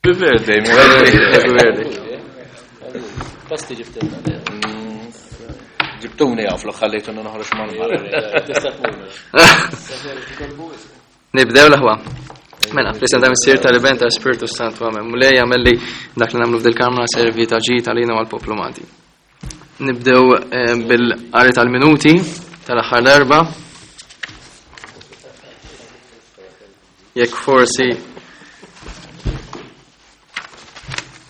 Happy birthday, Happy birthday. Pasti ġibtilna. Ġibtuni għaf, ħallejtuni noħroġ mal-barra. Tista' tmur. Nibdew l-aħwa. Mela, fl-isem ta' missier tal-Iben tal-Spiritu Santu Amen. Mulej jagħmel li dak li nagħmlu f'dil-kamra servi ta' ġid għalina u għall-poplu Malti. Nibdew eh, bil-qari tal-minuti tal-aħħar darba. Jekk forsi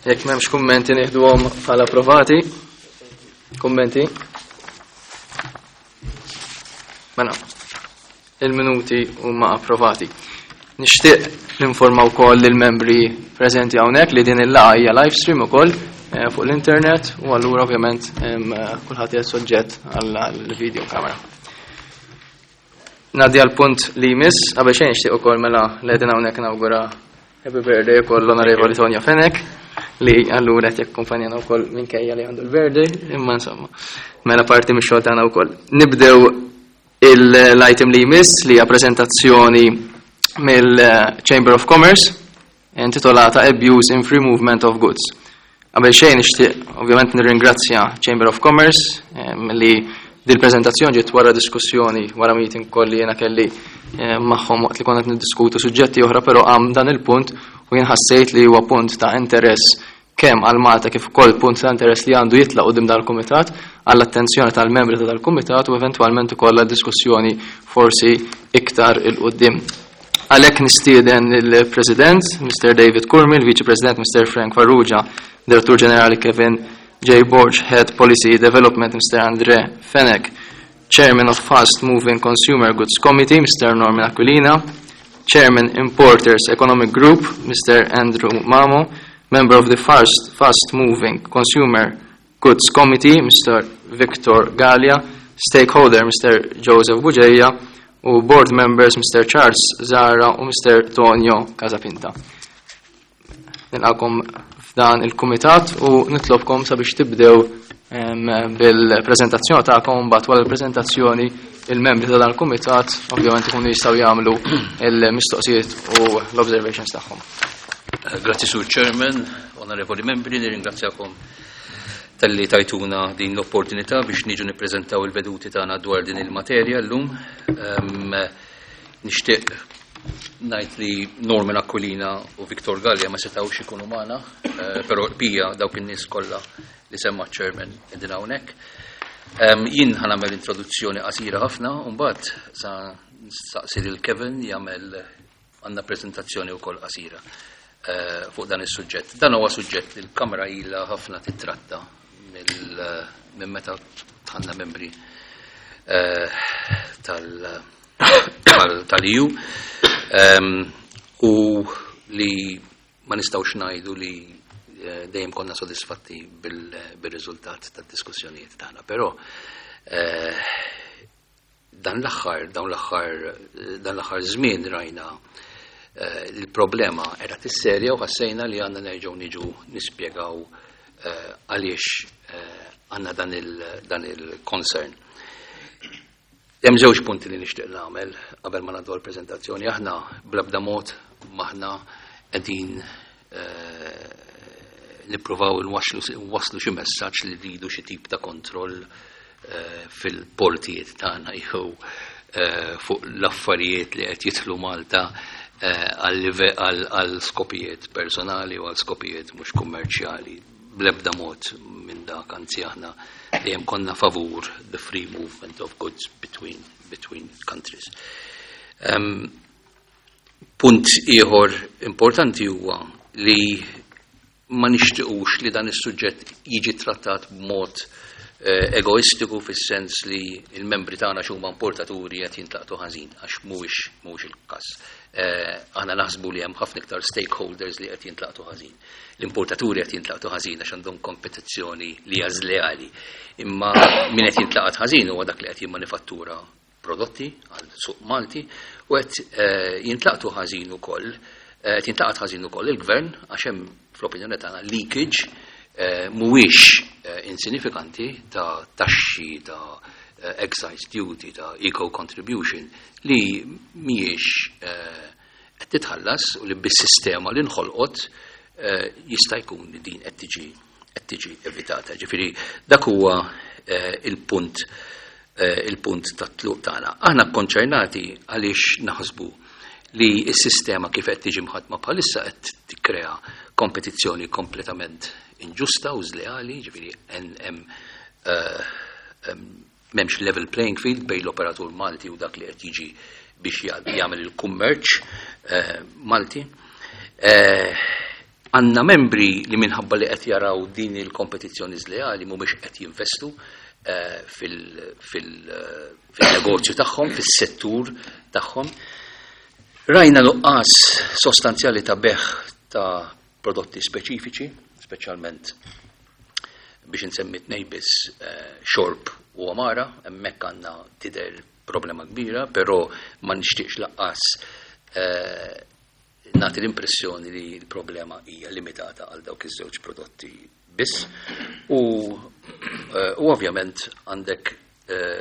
jekk m'hemmx kummenti nieħduhom bħala approvati. Kummenti? Mela, il-minuti huma approvati. Nixtieq ninforma wkoll lill-membri preżenti hawnhekk li din il-laqgħa hija live stream ukoll eh, fuq l-internet u allura ovvjament eh, kulħadd hija soġġett għall-video kamera. Ngħaddi għal punt li jmiss, qabel xejn nixtieq ukoll mela li qegħdin hawnhekk nawgura happy birthday ukoll l-Onorevoli Tonio Fenech li allura qed jakkumpanjana wkoll minkejja li għandu l-birthday, imma insomma, mela parti mix-xogħol tagħna wkoll. Nibdew l-item li jmiss li hija preżentazzjoni mill-Chamber of Commerce intitolata Abuse in Free Movement of Goods. Qabel xejn nixtieq ovvjament nirringrazzja Chamber of Commerce li dil-preżentazzjoni ġiet wara diskussjoni wara meeting ukoll li jiena kelli magħhom waqt li konna qed niddiskutu suġġetti oħra, però qam dan il-punt u jien ħassejt li huwa punt ta' interess kemm għal Malta kif ukoll punt ta' interess li għandu jitla' quddiem dal-kumitat għall-attenzjoni tal-membri ta' dal-kumitat u eventwalment ukoll għad-diskussjoni forsi iktar 'il quddiem. Għalhekk nistieden lill-President, Mr. David Curmi, il-Viċi President, Mr. Frank Farrugia, Direttur Ġenerali Kevin J. Borg, Head Policy Development, Mr. Andre Fenech, Chairman of Fast Moving Consumer Goods Committee, Mr. Norman Aquilina, Chairman Importers Economic Group, Mr. Andrew Mamo, Member of the Fast, Fast Moving Consumer Goods Committee, Mr. Victor Gallia, Stakeholder, Mr. Joseph Bugeja, u Board Members, Mr. Charles Zara u Mr. Tonio Casapinta. Nilqakom f'dan il-kumitat u nitlobkom sabiex tibdew bil-prezentazzjoni tagħkom mbagħad wara l-prezentazzjoni il-membri ta' dan il-kumitat ovvjament ikunu jistgħu jagħmlu l-mistoqsijiet u l-observations tagħhom. Grazzi Sur Chairman, onorevoli membri, nirringrazzjakom talli tajtuna din l-opportunità biex niġu nippreżentaw il-veduti tagħna dwar din il-materja llum. Nixtieq ngħid li Norman Aquilina u Victor Gallia ma setgħux ikunu magħna, eh, però l-bqija dawk in-nies kollha li semma ċ-chairman qegħdin hawnhekk. Jien ħa nagħmel introduzzjoni qasira ħafna u mbagħad sa nistaqsi lil Kevin jagħmel għandna preżentazzjoni wkoll qasira eh, fuq dan is-suġġett. Dan huwa suġġett li l-Kamra ilha ħafna titratta minn meta tħanna membri eh, tal-EU ehm, u li ma nistgħux ngħidu li eh, dejjem konna sodisfatti bil-riżultat tad-diskussjonijiet tagħna, però eh, dan l-aħħar, dawn l-aħħar, dan l-aħħar żmien rajna eh, il-problema era tisserja u ħassejna li għandna nerġgħu niġu nispjegaw eh, għaliex eh, għandna dan il-concern. Hemm żewġ punti li nixtieq nagħmel qabel ma ngħaddu għall-preżentazzjoni. Aħna bl-ebda mod m'aħna qegħdin nippruvaw nwasslu xi messaġġ li rridu xi tip ta' kontroll eh, fil-portijiet tagħna jew eh, fuq l-affarijiet li qed jidħlu Malta eh, għal skopijiet personali u għal skopijiet mhux kummerċjali. Bl-ebda mod minn dak, anzi aħna dejjem konna favur the free movement of goods between, between countries. Um, punt ieħor importanti huwa li ma nixtiqux li dan is-suġġett jiġi trattat b'mod eh, egoistiku fis-sens li il-membri tagħna x'huma importaturi qed jintlaqtu ħażin għax mhuwiex mhuwiex il-każ. Eh, aħna naħsbu li hemm ħafna iktar stakeholders li qed jintlaqtu ħażin. L-importaturi qed jintlaqtu ħażin għax għandhom kompetizzjoni li hija żleali. Imma min qed jintlaqat ħażin huwa dak li qed jimmanifattura prodotti għal suq Malti u qed eh, jintlaqtu ħażin ukoll eh, qed jintlaqat ħażin ukoll il-gvern għax hemm fl-opinjoni tagħna leakage eh, mhuwiex insinifikanti ta' taxxi ta' excise duty ta' eco contribution li mhijiex qed titħallas u li bis-sistema li nħolqot. jista' jkun li din qed tiġi qed tiġi evitata. Ġifieri dak huwa il-punt il-punt tat-tluq tagħna. Aħna kkonċernati għaliex naħsbu li s-sistema kif qed tiġi mħaddma bħalissa qed tikkrea kompetizzjoni kompletament inġusta u żleali, ġifieri hemm m'hemmx level playing field bejn l-operatur Malti u dak li qed jiġi biex jagħmel il-kummerċ Malti. Għandna membri li minħabba li qed jaraw din il-kompetizzjoni żleali mhumiex qed jinvestu fil-negozju tagħhom, fis-settur tagħhom. Rajna nuqqas sostanzjali ta' bejgħ ta' prodotti speċifiċi, speċjalment biex insemmi tnej biss, xorb u għamara, hemmhekk għandna tidher problema kbira, però ma nixtieqx lanqas nagħti l-impressjoni li l-problema hija limitata għal dawk iż-żewġ prodotti biss. U ovvjament għandek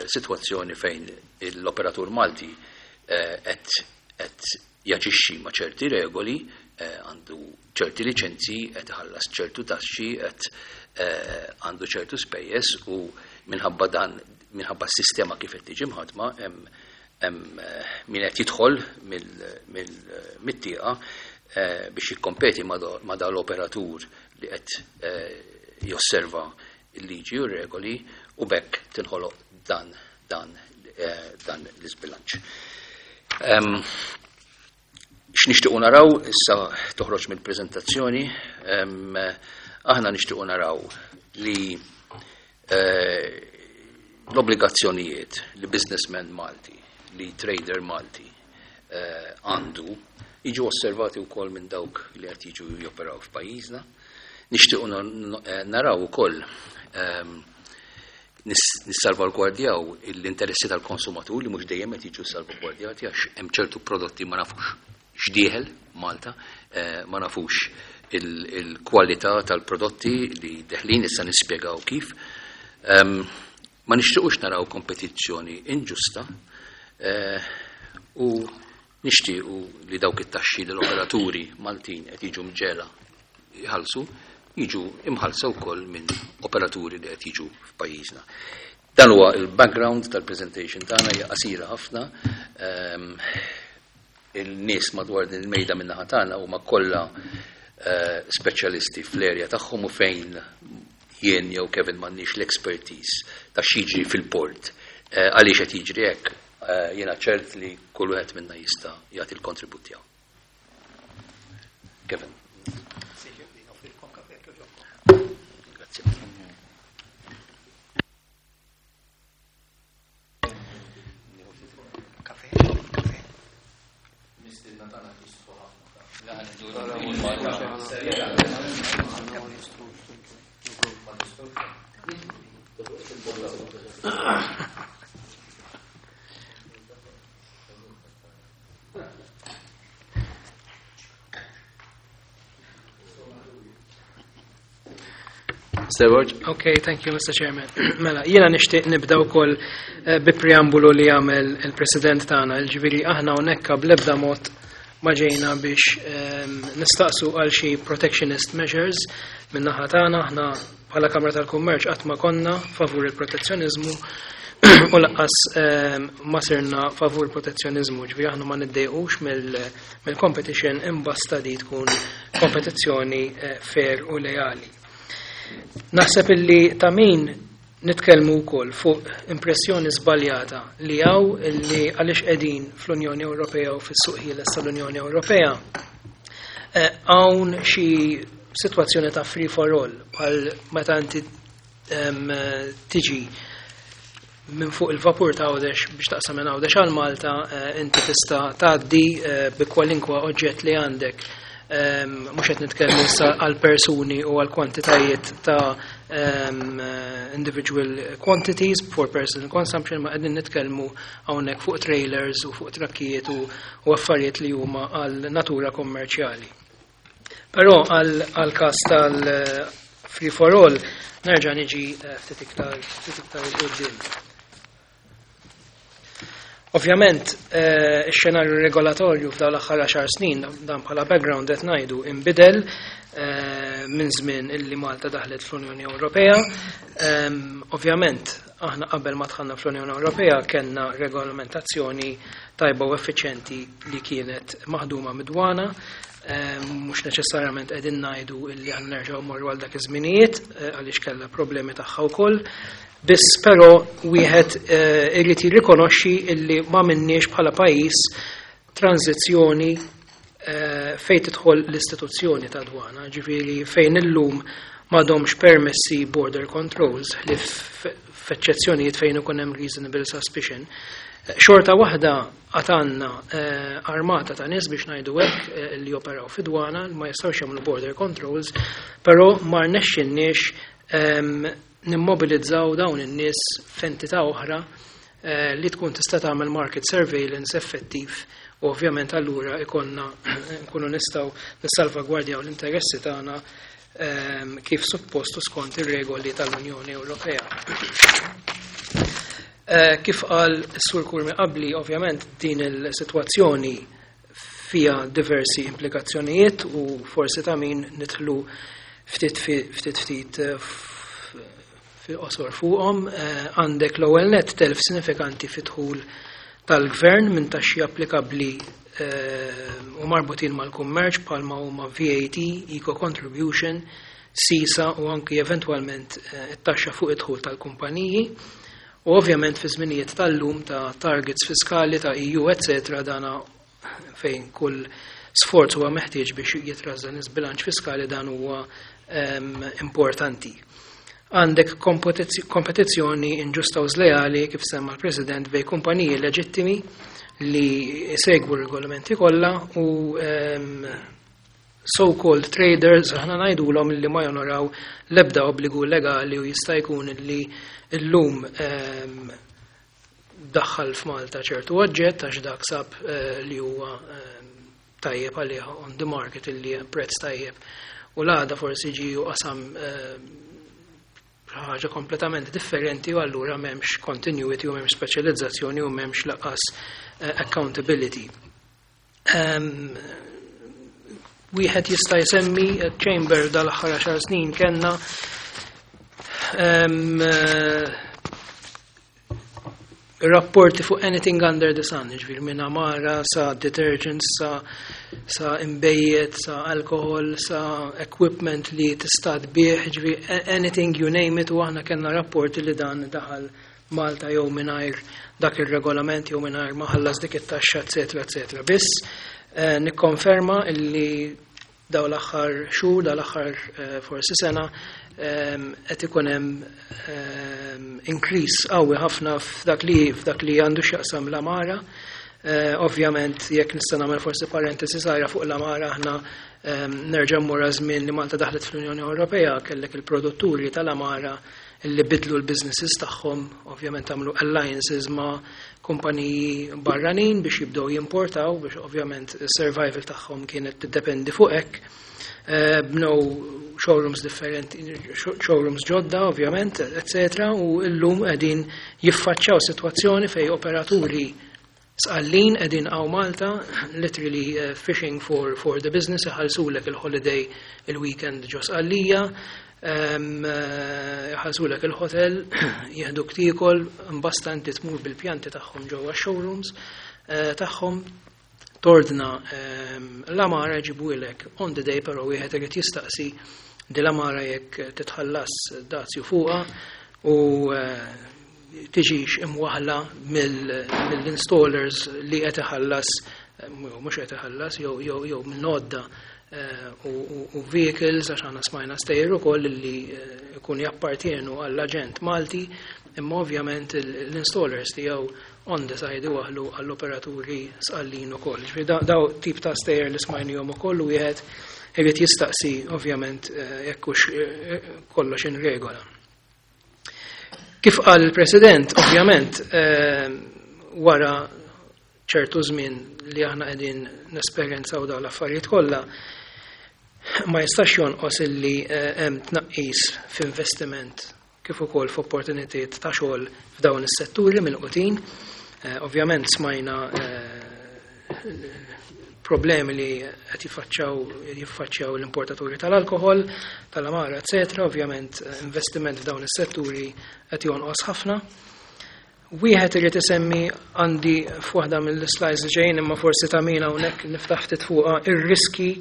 sitwazzjoni fejn l-operatur Malti qed jaġixxi ma' ċerti regoli, għandu ċerti liċenzji, qed iħallas ċertu taxxi, qed għandu ċertu spejjeż u minħabba dan, minħabba s-sistema kif qed tiġi mħadma, hemm min qed jidħol mit-tieqa biex jikkompeti ma' dal-operatur li qed josserva il-liġi u regoli u b'hekk tinħoloq dan l-isbilanċ. X'nixtiequ naraw issa toħroġ mill-preżentazzjoni, aħna nixtiequ naraw li l-obbligazzjonijiet li businessman Malti, li trader Malti għandu, jiġu osservati wkoll minn dawk li qed jiġu joperaw f'pajjiżna. Nixtiequ naraw ukoll nissalvagwardjaw l-interessi tal-konsumatur li mhux dejjem qed jiġu salvagwardjati għax hemm ċertu prodotti ma nafux x'dieħel Malta, ma nafux il-kwalità tal-prodotti li deħlin, issa nispjegaw kif. Ma nixtiequx naraw kompetizzjoni inġusta u nixtiequ li dawk it-taxxi li l-operaturi Maltin qed jiġu mġegħla jħallsu, jiġu imħallsa wkoll minn operaturi li qed jiġu f'pajjiżna. Dan huwa il-background tal-presentation tagħna, hija qasira ħafna. Il-nies madwar din il-mejda min-naħa tagħna huma kollha speċjalisti fl-erja tagħhom u fejn jien jew Kevin m'għandniex l-expertise ta' x'jiġri fil-port. Għaliex qed jiġri hekk, jiena ċert li kull wieħed minna jista' jagħti l-kontribut tiegħu. Kevin. Grazie. Kafe, kafe. Mistiedna tagħna jistħu ħafna. Mr. Borg. Okay, thank you, Mr. Chairman. Mela, jiena nixtieq nibda wkoll bi preambulu li għamel il-President tagħna, ġifieri aħna hawnhekk bl-ebda mod ma ġejna biex nistaqsu għal xi protectionist measures min-naħa tagħna. Aħna bħala Kamra tal-Kummerċ qatt ma konna favur il-protezzjonizmu u lanqas ma sirna favur protezzjonizmu, ġifieri aħna ma niddejqux mill-competition imbasta di tkun kompetizzjoni fair u leali. Naħseb illi ta' min nitkellmu wkoll fuq impressjoni żbaljata li hawn illi għaliex qegħdin fl-Unjoni Ewropea u fis-suq ħieles tal-Unjoni Ewropea hawn xi sitwazzjoni ta' free for all, bħal meta inti tiġi minn fuq il-vapur ta' Għawdex biex taqsam minn Għawdex għal Malta, inti tista' tgħaddi bi kwalinkwa oġġett li għandek. Mhux qed nitkellmu issa għal persuni u għal kwantitajiet ta' individual quantities for personal consumption, ma qegħdin nitkellmu hawnhekk fuq trailers u fuq trakkijiet u affarijiet li huma għal natura kommerċjali. Però għal każ tal free for all nerġa' niġi ftit iktar 'il quddiem. Ovvjament, ix-xenarju regolatorju f'dawn l-aħħar 10 snin, dan bħala background qed ngħidu, inbidel. minn żmien illi Malta daħlet fl-Unjoni Ewropea. Ovvjament, aħna qabel ma dħalna fl-Unjoni Ewropea kellna regolamentazzjoni tajba u effiċjenti li kienet maħduma mid-dwana. Mhux neċessarjament qegħdin ngħidu illi aħna nerġgħu mmorru għal dak iż-żminijiet għaliex kellha problemi tagħha wkoll. Biss però wieħed irid jirrikonoxxi illi ma minniex bħala pajjiż tranzizzjoni fejn tidħol l-istituzzjoni ta' dwana, ġifieri fejn illum m'għadhomx permessi border controls li f'eċċezzjonijiet fejn ikun hemm reasonable suspicion. Xorta waħda għatanna armata ta' nies biex ngħidu hekk li operaw fi dwana ma jistgħux jagħmlu border controls, però ma rnexxinniex nimmobilizzaw dawn in-nies f'entità oħra li tkun tista' tagħmel market surveillance effettiv u ovvjament allura ikonna nkunu nistgħu nissalvagwardjaw l-interessi tagħna kif suppostu skont ir-regoli tal-Unjoni Ewropea. Kif qal is-Sur Curmi qabli, ovvjament din il-sitwazzjoni fija diversi implikazzjonijiet u forsi ta' min nidħlu ftit ftit ftit fil-qosor fuqhom. Għandek l-ewwel net telf sinifikanti fid-dħul tal-gvern minn taxxi applikabbli u marbutin mal-kummerċ bħalma huma VAT, Eco Contribution, SISA u anki eventwalment it-taxxa fuq id-dħul tal-kumpaniji. U ovvjament fi żminijiet tal-lum ta' targets fiskali ta' EU, eccetera, dana fejn kull sforz huwa meħtieġ biex jitrażżan iż-bilanċ fiskali dan huwa importanti. Għandek kompetizzjoni inġusta u żleali kif semma l-President bej kumpaniji leġittimi li segwu r-regolamenti kollha u so-called traders, aħna ngħidulhom li ma jonoraw l-ebda obbligu legali u jista' jkun li llum daħħal f'Malta ċertu oġġett għax dak sab li huwa tajjeb għalih on the market illi prezz tajjeb u l-għada forsi ġi u qasam ħaġa kompletament differenti u allura m'hemmx continuity u m'hemmx speċjalizzazzjoni u m'hemmx lanqas accountability. Wieħed jista' jsemmi chamber dal-aħħar 10 snin kellna rapporti fuq anything under the sun, ġifieri minn amara sa detergents, sa imbejjed, sa alkohol, sa equipment li tista' tbih, ġifieri anything you name it, u aħna kellna rapporti li dan daħal Malta jew mingħajr dak ir-regolament jew mingħajr ma ħallas dik it-taxxa, eċetera, eċetera. Biss nikkonferma illi daw l-aħħar xhur, daw l-aħħar forsi sena, qed ikun hemm increase qawwi ħafna f'dak li għandu x'jaqsam l-amara. Ovvjament, jekk nista' nagħmel forsi parentesi żgħira fuq l-amara, aħna nerġa' mmur żmien li Malta daħlet fl-Unjoni Ewropea, kellek il-produtturi tal-amara li bidlu l-businesses tagħhom, ovvjament għamlu alliances ma' kumpaniji barranin biex jibdew jimportaw, biex ovvjament survival tagħhom kienet tiddependi fuq hekk. Bnew showrooms differenti, showrooms ġodda, ovvjament, eccetera, u llum qegħdin jiffaċċjaw sitwazzjoni fej operaturi Sqallin qegħdin hawn Malta, literally fishing for the business, iħallsulek il-holiday il-weekend ġo Sqallija, iħallsulek il-hotel, jieħduk tiekol, imbasta inti tmur bil-pjanti tagħhom ġewwa showrooms tagħhom, tordna l-amara jġibuhielek on the day, però wieħed irid jistaqsi di l-amara jekk titħallas dazju fuqha u tiġix imwaħla mill-installers li qed iħallas, mhux qed iħallas, jew minn għodda u vehicles, għax aħna smajna stejjer ukoll li jkun jappartienu għall-aġent Malti, imma ovvjament l-installers tiegħu on the side iwaħlu għall-operaturi Sqallin ukoll. Ġifieri daw tip ta' stejjer li smajnihom ukoll u wieħed irid jistaqsi ovvjament jekk hux kollox in regola. Kif qal il-President, ovvjament, wara ċertu żmien li aħna qegħdin nesperjenzaw dawn l-affarijiet kollha, ma jistax jonqos illi hemm tnaqqis f'investiment kif ukoll f'opportunitajiet ta' xogħol f'dawn is-setturi milqutin. Ovvjament smajna problemi li qed jiffaċċjaw l-importaturi tal-alkoħol, tal-amara, eċetera. Ovvjament investiment f'dawn is-setturi qed jonqos ħafna. Wieħed irid isemmi, għandi f'waħda mill-slides li ġejjin, imma forsi ta' min hawnhekk niftaħ ftit fuqha, ir-riski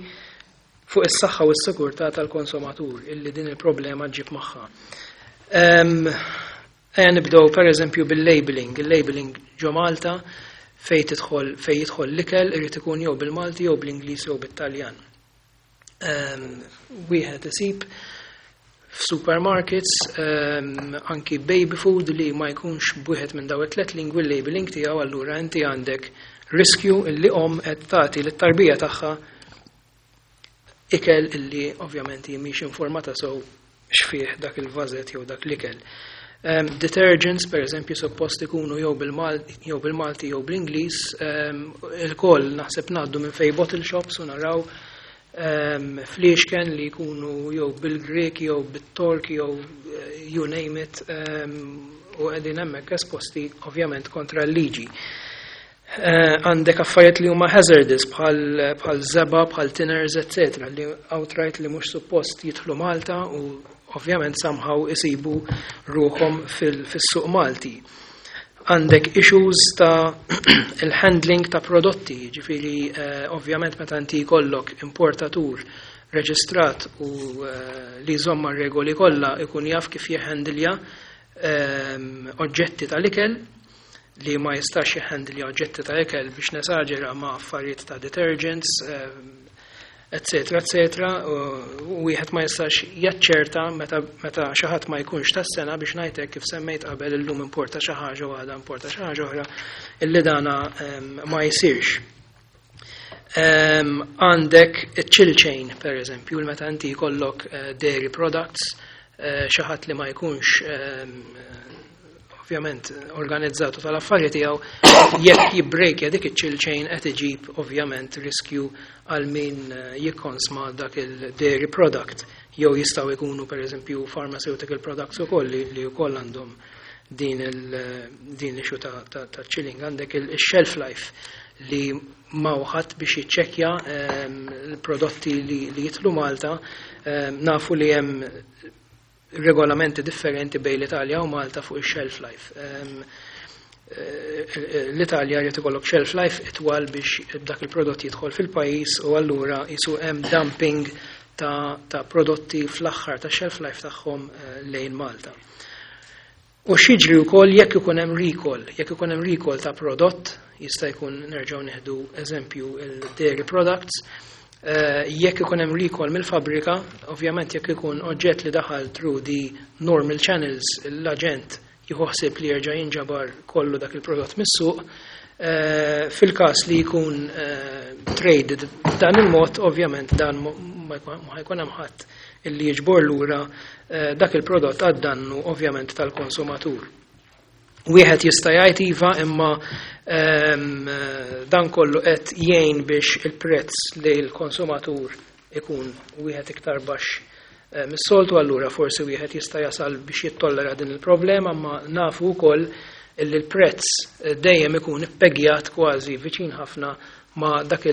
fuq is-saħħa u s-sigurtà tal-konsumatur illi din il-problema ġġib magħha. Ejja nibdew per eżempju bil-labeling. Il-labeling ġo Malta fejn jidħol l-ikel irid ikun jew bil-Malti jew bl-Ingliż jew bit-Taljan. Wieħed isib f'supermarkets anki baby food li ma jkunx b'wieħed minn daw it-tlet lingwi l-labeling tiegħu. Allura inti għandek riskju illi om qed tagħti lit-tarbija tagħha ikel illi ovvjament hi mhix informata sew x'fih dak il-vażett jew dak l-ikel. Detergents, per eżempju, suppost ikunu jew bil-Malti jew bl-Ingliż, ilkoll naħseb ngħaddu minn fejn bottle shops u naraw fliexken li jkunu jew bil-Grek jew bit-Tork jew you name it, u qegħdin hemmhekk esposti ovvjament kontra l-liġi. Għandek affarijiet li huma hazardous bħal żebgħa, bħal thinners, etc. li outright li mhux suppost jidħlu Malta u ovvjament somehow isibu ruħhom fis-suq Malti. Għandek issues ta' il-handling ta' prodotti, ġifieri ovvjament meta inti jkollok importatur reġistrat u li jżomm regoli kollha, ikun jaf kif jihhandilja oġġetti tal-ikel li ma jistax jihhandilja oġġetti ta' ikel, biex nesaġera, ma' affarijiet ta' detergents, eccetera, eccetera, u wieħed ma jistax jaċċerta meta xi ħadd ma jkunx tas-sengħa, biex ngħidlek kif semmejt qabel, illum importa xi ħaġa u għada importa xi ħaġa oħra, illi dana ma jsirx. Għandek chill chain, per eżempju, meta inti jkollok dairy products, xi ħadd li ma jkunx ovvjament organizzatu tal-affarijiet tiegħu, jekk jibbrejkja dik iċ-chill chain, qed iġib ovvjament riskju għal min jikkonsma dak il-dairy product, jew jistgħu jkunu per eżempju pharmaceutical products ukoll li wkoll għandhom din l-issue ta' chilling. Għandek il-shelf life li ma ħadd biex jiċċekkja l-prodotti li jidħlu Malta. Nafu li hemm regolamenti differenti bejn l-Italja u Malta fuq il-shelf life. L-Italja jrid ikollok shelf life itwal biex dak il-prodott jidħol fil-pajjiż u allura jisu hemm dumping ta' prodotti fl-aħħar ta' shelf life tagħhom lejn Malta. U x'jiġri wkoll jekk ikun hemm recall, jekk ikun hemm recall ta' prodott, jista' jkun, nerġgħu nieħdu eżempju il-dairy products, jekk ikun hemm recall mill-fabrika, ovvjament jekk ikun oġġett li daħal through the normal channels, l-aġent jieħu ħsieb li jerġa' jinġabar kollu dak il-prodott mis-suq. Fil-każ li jkun traded b'dan il-mod, ovvjament dan ma jkun hemm ħadd illi jiġbor lura dak il-prodott għad-dannu ovvjament tal-konsumatur. Wieħed jista' jgħid iva, imma dan kollu qed jgħin biex il-prezz li l-konsumatur ikun wieħed iktar baxx mis-soltu, allura forsi wieħed jista' jasal biex jittollera din il-problema, ma nafu wkoll illi l-prezz dejjem ikun ippegjat kważi viċin ħafna ma dak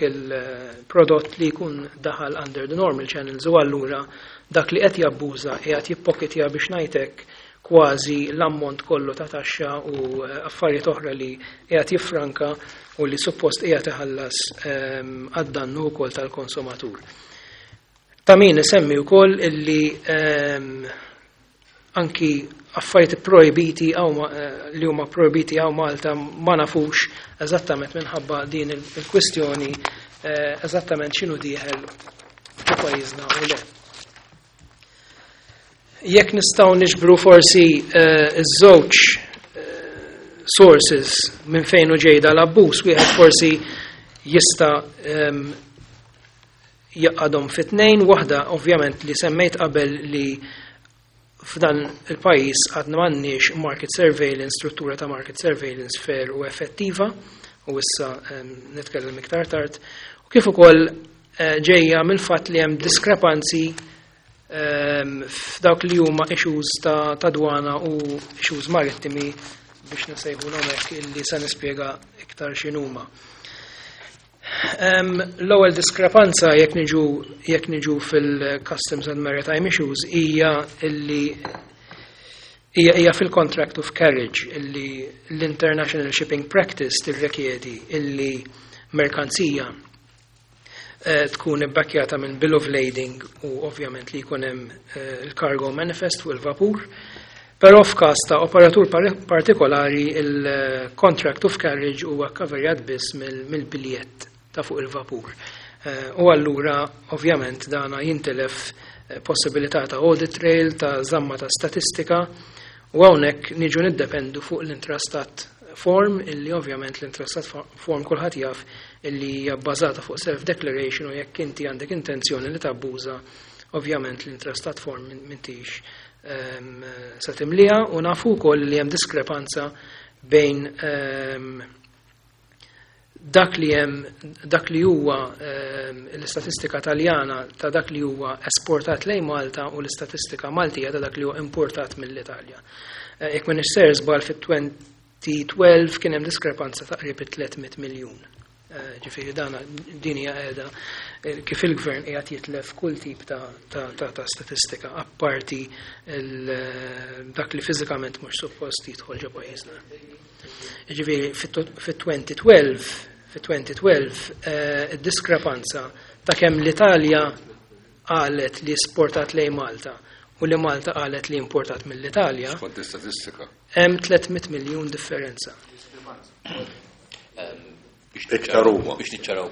il-prodott li jkun daħal under the normal channels u allura dak li qed jabbuża qiegħed jippokitja, biex ngħidlek, kważi l-ammont kollu ta' taxxa u affarijiet oħra li qiegħed jiffranka u li suppost qiegħed iħallas għad-dannu wkoll tal-konsumatur. Ta' min isemmi wkoll illi anki affarijiet projbiti li huma projbiti hawn Malta ma nafux eżattament minħabba din il-kwistjoni eżattament x'inhu dieħel fi pajjiżna u le. Jekk nistgħu niġbru forsi iż-żewġ sources minn fejn u ġejda l-abbuż, wieħed forsi jista' jgħaqqadhom fi tnejn. Waħda ovvjament li semmejt qabel, li f'dan il-pajjiż għadna m'għandniex market surveillance, struttura ta' market surveillance fair u effettiva, u issa nitkellem iktar tard, u kif ukoll ġejja mill-fatt li hemm diskrepanzi f'dawk li huma issues ta' dwana u issues marittimi, biex nsejħulhom hekk, illi se nispjega iktar x'inhuma. L-ewwel diskrepanza jekk niġu fil-Customs and Maritime Issues hija illi hija fil-contract of carriage, illi l-International Shipping Practice tirrikjedi illi merkanzija tkun ibbakkjata minn bill of lading u ovvjament li jkun hemm il-cargo manifest fuq il-vapur. Però f'każ ta' operatur partikolari, il-contract of carriage huwa kkoverjat biss mill-biljett ta' fuq il-vapur. U allura ovvjament dana jintilef possibilità ta' audit trail, ta' żamma ta' statistika, u hawnhekk niġu niddependu fuq l-intrastat form, illi ovvjament l-intrastat form kulħadd jaf illi hija bbażata fuq self-declaration, u jekk inti għandek intenzjoni li tabbuża, ovvjament l-intrastat form m'intix se timlija. U nafu wkoll li hemm diskrepanza bejn dak li huwa l-istatistika Taljana ta' dak li huwa esportat lejn Malta u l-istatistika Maltija ta' dak li huwa importat mill-Italja. Jekk m'iniex sejjer żball, fit-2012 kien hemm diskrepanza ta' qrib 300 miljun. Ġifieri dana din hija qiegħda kif il-gvern qiegħed jitlef kull tip ta' statistika apparti dak li fiżikament mhux suppost jidħol ġo pajjiżna. Ġifieri fit-2012 id-diskrepanza ta' kemm l-Italja qalet li esportat lejn Malta u li Malta qalet li importat mill-Italja. Skont l-istatistika. Hemm 300 miljun differenza. Iktar huma. Biex niċċaraw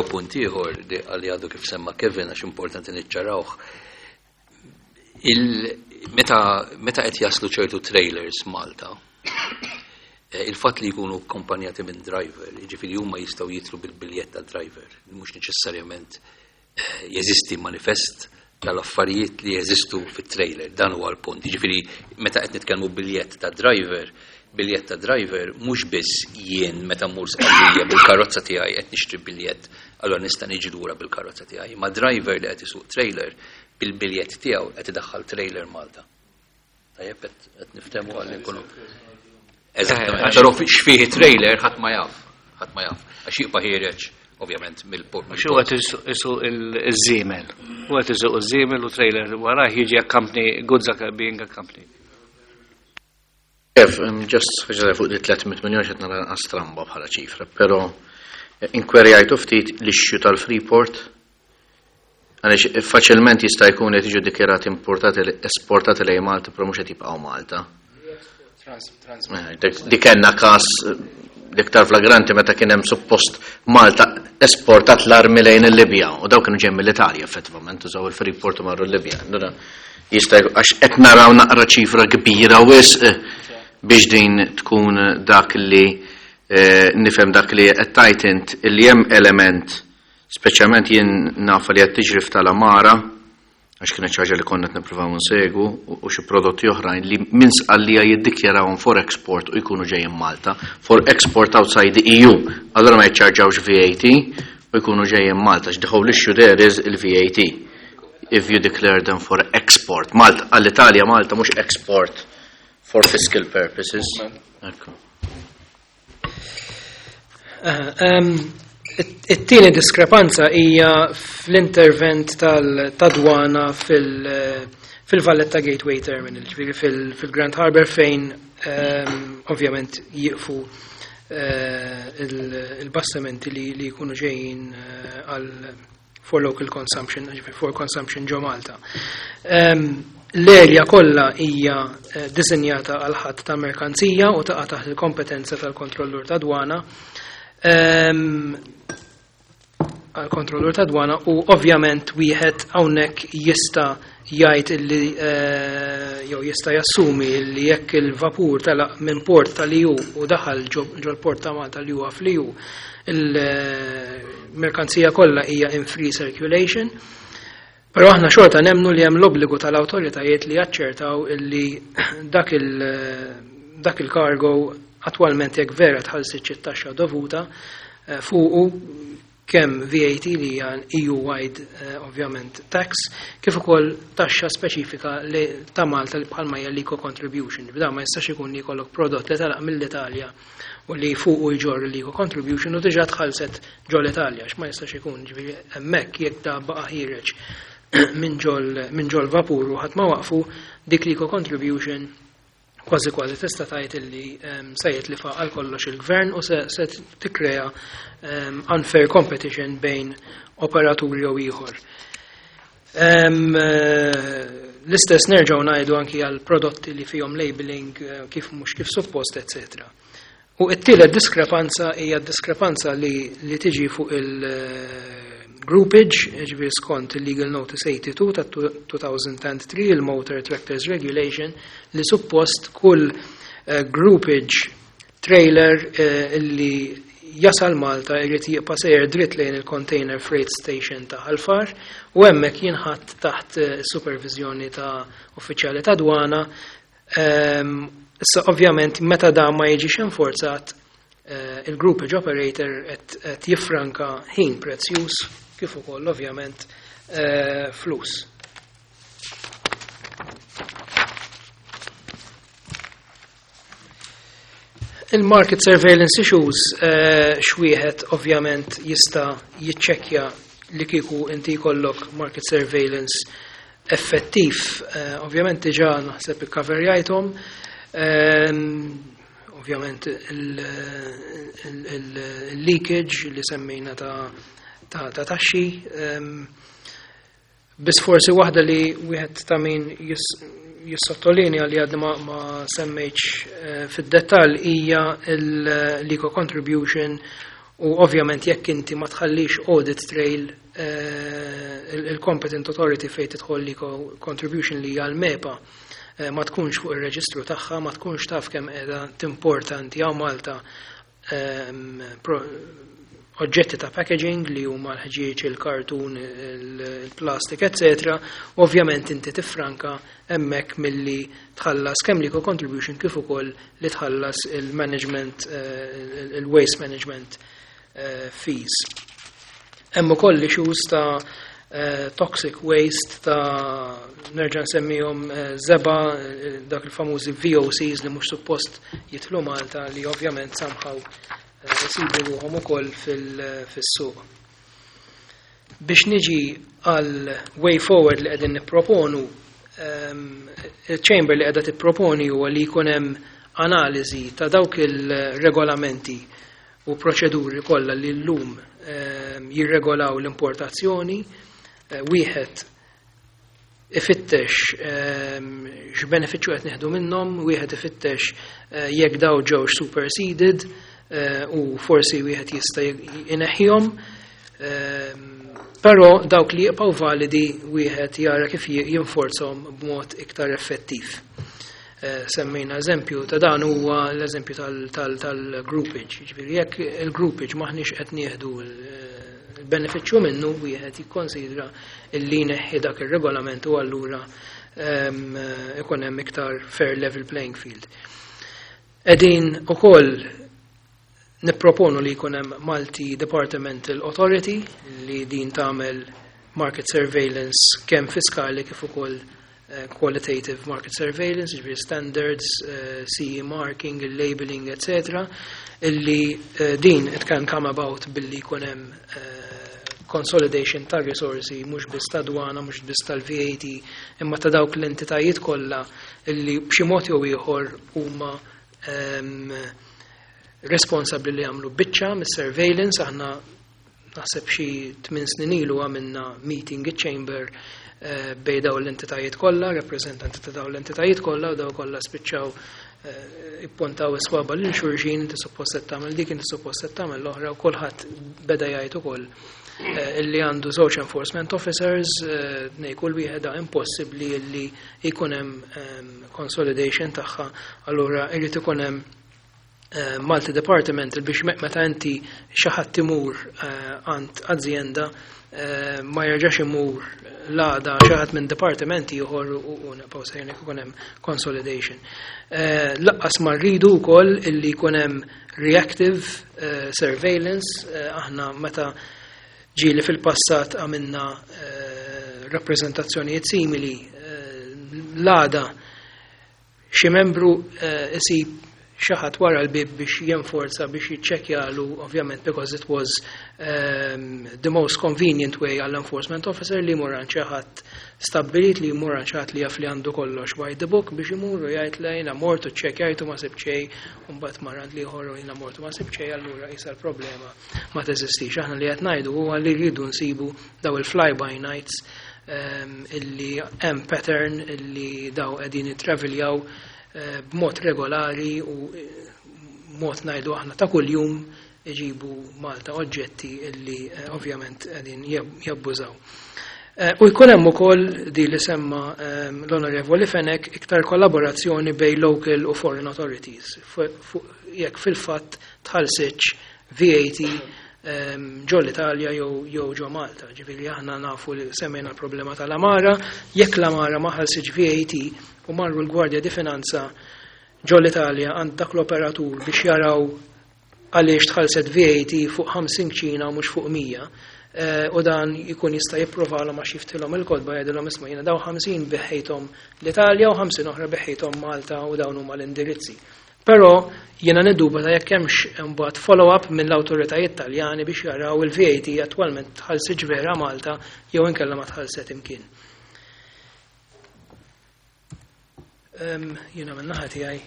punt ieħor li għalli għadu kif semma Kevin, għax importanti niċċarawh. Meta qed jaslu ċertu trailers Malta, il-fatt li jkunu akkompanjati minn driver, jiġifieri huma jistgħu jidħlu bil-biljett ta' driver, mhux neċessarjament jeżisti manifest tal-affarijiet li jeżistu fit-trailer, dan huwa l-punt. Jiġifieri meta qed nitkellmu biljett ta' driver, biljett ta' driver mhux biss jien meta mmur Sqallija bil-karozza tiegħi qed nixtri biljett, allura nista' niġi lura bil-karozza tiegħi. Ma driver li qed isuq trailer bil-biljett tiegħu qed idaħħal trailer Malta. Tajjeb, qed niftehmu għalli nkunu. Eżattament. Però x'fih trailer ħadd ma jaf, ħadd ma jaf. Għax jibqa' ħiereġ ovvjament mill-port. Għax huwa isuq iż-żiemel. Huwa isuq iż-żiemel u trailer warah jiġi accompany, goods are being accompanied. Kev, just ħaġa fuq di 300 miljon, xed nara stramba bħala ċifra, pero inkwerjajtu ftit l-issue tal-Freeport, għaliex faċilment jista' jkun li tiġu dikjarati importati, esportati lejn Malta, però mhux qed jibqgħu Malta. Dik kellna każ l-iktar flagranti meta kien hemm suppost Malta esportat l-armi lejn il-Libja u daw kienu ġejjin mill-Italja effettivament, użaw il-Freeport u marru l-Libja. Allura jista' għax qed naraw naqra ċifra kbira wisq biex din tkun dak li nifhem dak li qed tgħid int, li hemm element, speċjalment jien naf li qed tiġri f'tal-Amara, għax kienet xi ħaġa li konna qed nippruvaw nsegwu, u xi prodotti oħrajn li minn Sqallija jiddikjarawhom for export u jkunu ġejjin Malta, for export outside the EU. Allura ma jiċċarġawx VAT u jkunu ġejjin Malta. The whole issue there is il-VAT. If you declare them for export. Malta, għall-Italja Malta mhux export for fiscal purposes. Ekku. It-tieni diskrepanza hija fl-intervent tal-dwana fil-Valletta Gateway Terminal, ġifieri fil-Grand Harbour, fejn ovvjament jiqfu il-bastimenti li jkunu ġejjin għal for local consumption, ġifieri for consumption ġo Malta. L-erja kollha hija disinjata għal ħatt ta' merkanzija u taqa' taħt il-kompetenza tal-kontrollur ta' dwana. Għal-kontrollur ta' dwana, u ovvjament wieħed hawnhekk jista' jgħid illi jew jista' jassumi illi jekk il-vapur telaq minn port tal-EU u daħal ġo l-port ta' Malta li huwa fl-EU, il-merkanzija kollha hija in free circulation. Però aħna xorta nemnu li hemm l-obbligu tal-awtoritajiet li jaċċertaw illi dak il-cargo attwalment, jekk vera tħallsitx it-taxxa dovuta fuqu. kemm VAT li hija EU-wide ovvjament tax, kif ukoll taxxa speċifika li ta' Malta li bħalma hija l-eco contribution. B'dan ma jistax ikun li jkollok prodott li telaq mill-Italja u li fuqu jġorr l-eco contribution u diġà tħallset ġol Italja, x'ma jistax ikun, ġifieri hemmhekk jekk da baqa' ħiereġ minn ġol vapur u ħadd ma waqfu, dik l-eco contribution kważi kważi tista' tgħid illi se jitlifa għal kollox il-gvern u se tikkrea unfair competition bejn operaturi jew ieħor. L-istess nerġgħu ngħidu anki għal prodotti li fihom labeling kif mhux kif suppost, eccetera. U t-tielet diskrepanza hija diskrepanza li tiġi fuq il-groupage, ġifieri skont il-Legal Notice 82 ta' 2003, il-Motor Tractors Regulation, li suppost kull groupage trailer illi jasal Malta jrid jibqa' sejjer dritt lejn il-Container Freight Station ta' Ħal Far u hemmhekk jinħatt taħt supervizjoni ta' uffiċjali ta' dwana. Issa ovvjament meta da ma jiġix enforzat, il-groupage operator qed jiffranka ħin prezzjuż kif ukoll ovvjament flus. Il-market surveillance issues xwieħed ovvjament jista' jiċċekkja li kieku inti jkollok market surveillance effettiv. Ovvjament diġà naħseb ikkaverjajthom. Ovvjament il-leakage li semmejna ta' taxxi. Biss forsi waħda li wieħed ta' min jissottolinja li għadni ma semmejtx fid-dettall hija l-eco contribution u ovvjament jekk inti ma tħallix audit trail il-competent authority fejn tidħol l-eco contribution li hija l-MEPA ma tkunx fuq ir-reġistru tagħha, ma tkunx taf kemm qiegħda timporta inti hawn Malta oġġetti ta' packaging li huma l-ħġieġ, il-kartun, il-plastik, eccetera. Ovvjament inti tiffranka hemmhekk milli tħallas kemm l-eco contribution kif ukoll li tħallas il-management, il-waste management fees. Hemm ukoll issues ta' toxic waste ta' nerġa' nsemmihom żeba, dak il-famużi VOCs li mhux suppost jidħlu Malta li ovvjament somehow isibu ruħhom ukoll fis-suq. Biex niġi għal way forward li qegħdin nipproponu, il-chamber li qiegħda tipproponi huwa li jkun hemm analiżi ta' dawk il-regolamenti u proċeduri kollha li llum jirregolaw l-importazzjoni, wieħed ifittex x'benefiċċju qed nieħdu minnhom, wieħed ifittex jekk daw ġewx superseded u forsi wieħed jista' ineħħihom. Però dawk li jibqgħu validi wieħed jara kif jinforzhom b'mod iktar effettiv. Semmejna eżempju ta' dan huwa l-eżempju tal-groupage. Ġifieri jekk il-groupage maħniex qed nieħdu l-benefiċċju minnu, wieħed jikkonsidra illi jneħħi dak ir-regolament u allura ikun hemm iktar fair level playing field. Qegħdin ukoll nipproponu li jkun hemm Multi Departmental Authority li din tagħmel market surveillance kemm fiskali kif ukoll qualitative market surveillance, ġifieri standards, CE marking, labeling, eccetera, illi din it can come about billi jkun hemm consolidation ta' risorsi mhux biss ta' dwana, mhux biss tal-VAT, imma ta' dawk l-entitajiet kollha illi b'xi mod jew ieħor huma responsabbli li jagħmlu biċċa mis-surveillance. Aħna naħseb xi 8 snin ilu għamilna meeting iċ-chamber bej daw l-entitajiet kollha, rappreżentanti ta' daw l-entitajiet kollha, u daw kollha spiċċaw ippuntaw iswaba lil xulxin, inti suppost qed tagħmel dik, inti suppost qed tagħmel l-oħra, u kulħadd beda jgħid ukoll illi għandu żewġ enforcement officers, nej kull wieħed da impossibbli illi jkun hemm consolidation tagħha, allura irid ikun hemm multi departmental biex meta inti xi ħadd imur għand azienda ma jerġax imur l-għada xi ħadd minn dipartimenti ieħor u nibqgħu sejrin jekk ikun hemm consolidation. Laqqas ma rridu wkoll illi jkun hemm reactive surveillance, aħna meta Ġieli fil-passat għamilna rappreżentazzjonijiet simili, l-għada xi membru isib xi ħadd wara l-bib biex jenforza, biex jiċċekkjalu, ovvjament because it was the most convenient way għall-enforcement officer li jmur għand xi ħadd stabbilit, li jmur għand xi ħadd li jaf li għandu kollox by the book, biex imur u jgħid le, jiena mort u ċċekkjajtu, ma sibt xejn, u mbagħad mar għand l-ieħor u jiena mort u ma sibt xejn, allura isa l-problema ma teżistix. Aħna li qed ngħidu huwa li rridu nsibu daw il-fly by nights illi hemm pattern illi daw qegħdin jittraviljaw b'mod regolari u mod, ngħidu aħna, ta' kuljum iġibu Malta oġġetti illi ovvjament qegħdin jabbużaw. U jkun hemm ukoll di li semma l-Onorevoli Fenech, iktar kollaborazzjoni bej local u foreign authorities jekk fil-fatt tħallsitx VAT ġo l-Italja jew ġo Malta. Ġifieri aħna nafu li semmejna l-problema tal-Amara, jekk l-Amara ma ħallsitx VAT u marru l-Gwardja di Finanza ġo l-Italja għand dak l-operatur biex jaraw għaliex tħallset VAT fuq 50 kċina u mhux fuq 100, u dan jkun jista' jipprovalhom għax jiftilhom il-kotba, jgħidilhom, "Isma', jiena daw 50 bigħthom l-Italja u 50 oħra bigħthom Malta u dawn huma l-indirizzi." Però jiena niddubita jekk hemmx imbagħad follow-up mill-awtoritajiet Taljani biex jaraw il-VAT attwalment tħallsitx vera Malta jew inkella ma tħallset imkien. Jiena minn naħa tiegħi.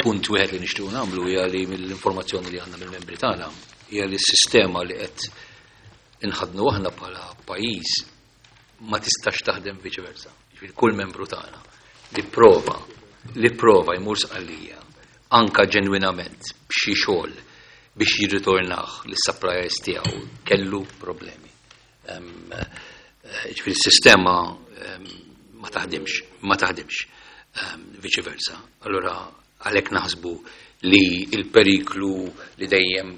Punt wieħed li nixtiequ nagħmlu hija li mill-informazzjoni li għandna mill-membri tagħna hija li s-sistema li qed inħadnu aħna bħala pajjiż ma tistax taħdem viċi versa. Ġifieri kull membru tagħna li prova jmur Sqallija anka ġenwinament b'xi xogħol biex jirritornah lis-suppliers tiegħu kellu problemi. Ġifieri s-sistema ma taħdimx, ma taħdimx viċi versa. Allora għalhekk naħsbu li il-periklu li dejjem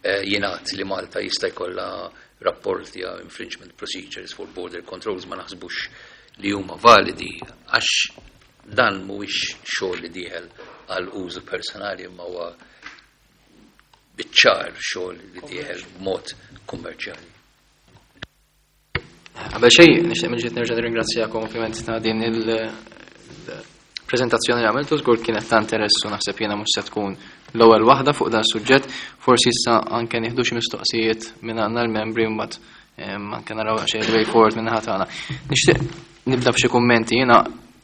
jingħad li Malta jista' jkollha rapporti għal infringement procedures for border controls ma naħsbux li huma validi, għax dan mhuwiex xogħol li dieħel għal użu personali, imma huwa biċ-ċar xogħol li dieħel b'mod kummerċjali. Qabel xejn, nixtieq mill-ġdid nerġa' nirringrazzjakom ovvjament ta' din il-preżentazzjoni li għamiltu, żgur kienet ta' interess u naħseb jiena mhux se tkun l-ewwel waħda fuq dan suġġett. Forsi issa anke nieħdu xi mistoqsijiet minn għandna l-membri, mbagħad anke naraw xi way forward minn naħa tagħna. Nixtieq nibda b'xi kummenti jiena.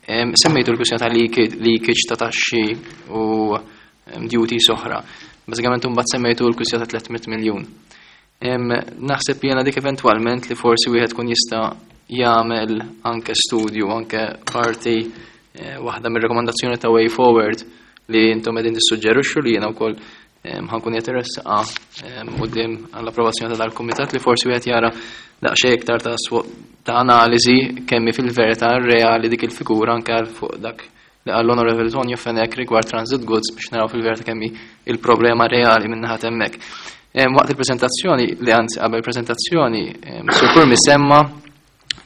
Semmejtu l-kwistjoni ta' leakage ta' taxxi u duties oħra. Bażikament mbagħad semmejtu l-kwistjoni ta' 300 miljun. Naħseb jiena dik eventwalment li forsi wieħed kun jista' jagħmel anke studju, anke parti waħda mir-rekomandazzjoni ta' way forward li intom qegħdin tissuġġerixxu, li jiena wkoll ħa nkun qed iressaqha quddiem għall-approvazzjoni ta' dal-kumitat, li forsi wieħed jara daqsxejn iktar ta' analiżi kemm fil-verità reali dik il-figura, anke għal fuq dak li għall-Onorevoli Tonio Fenech rigward transit goods, biex naraw fil-verità kemm hi il-problema reali minn naħa hemmhekk. Waqt il-prezentazzjoni, li anzi qabel prezentazzjoni, Sur Curmi semma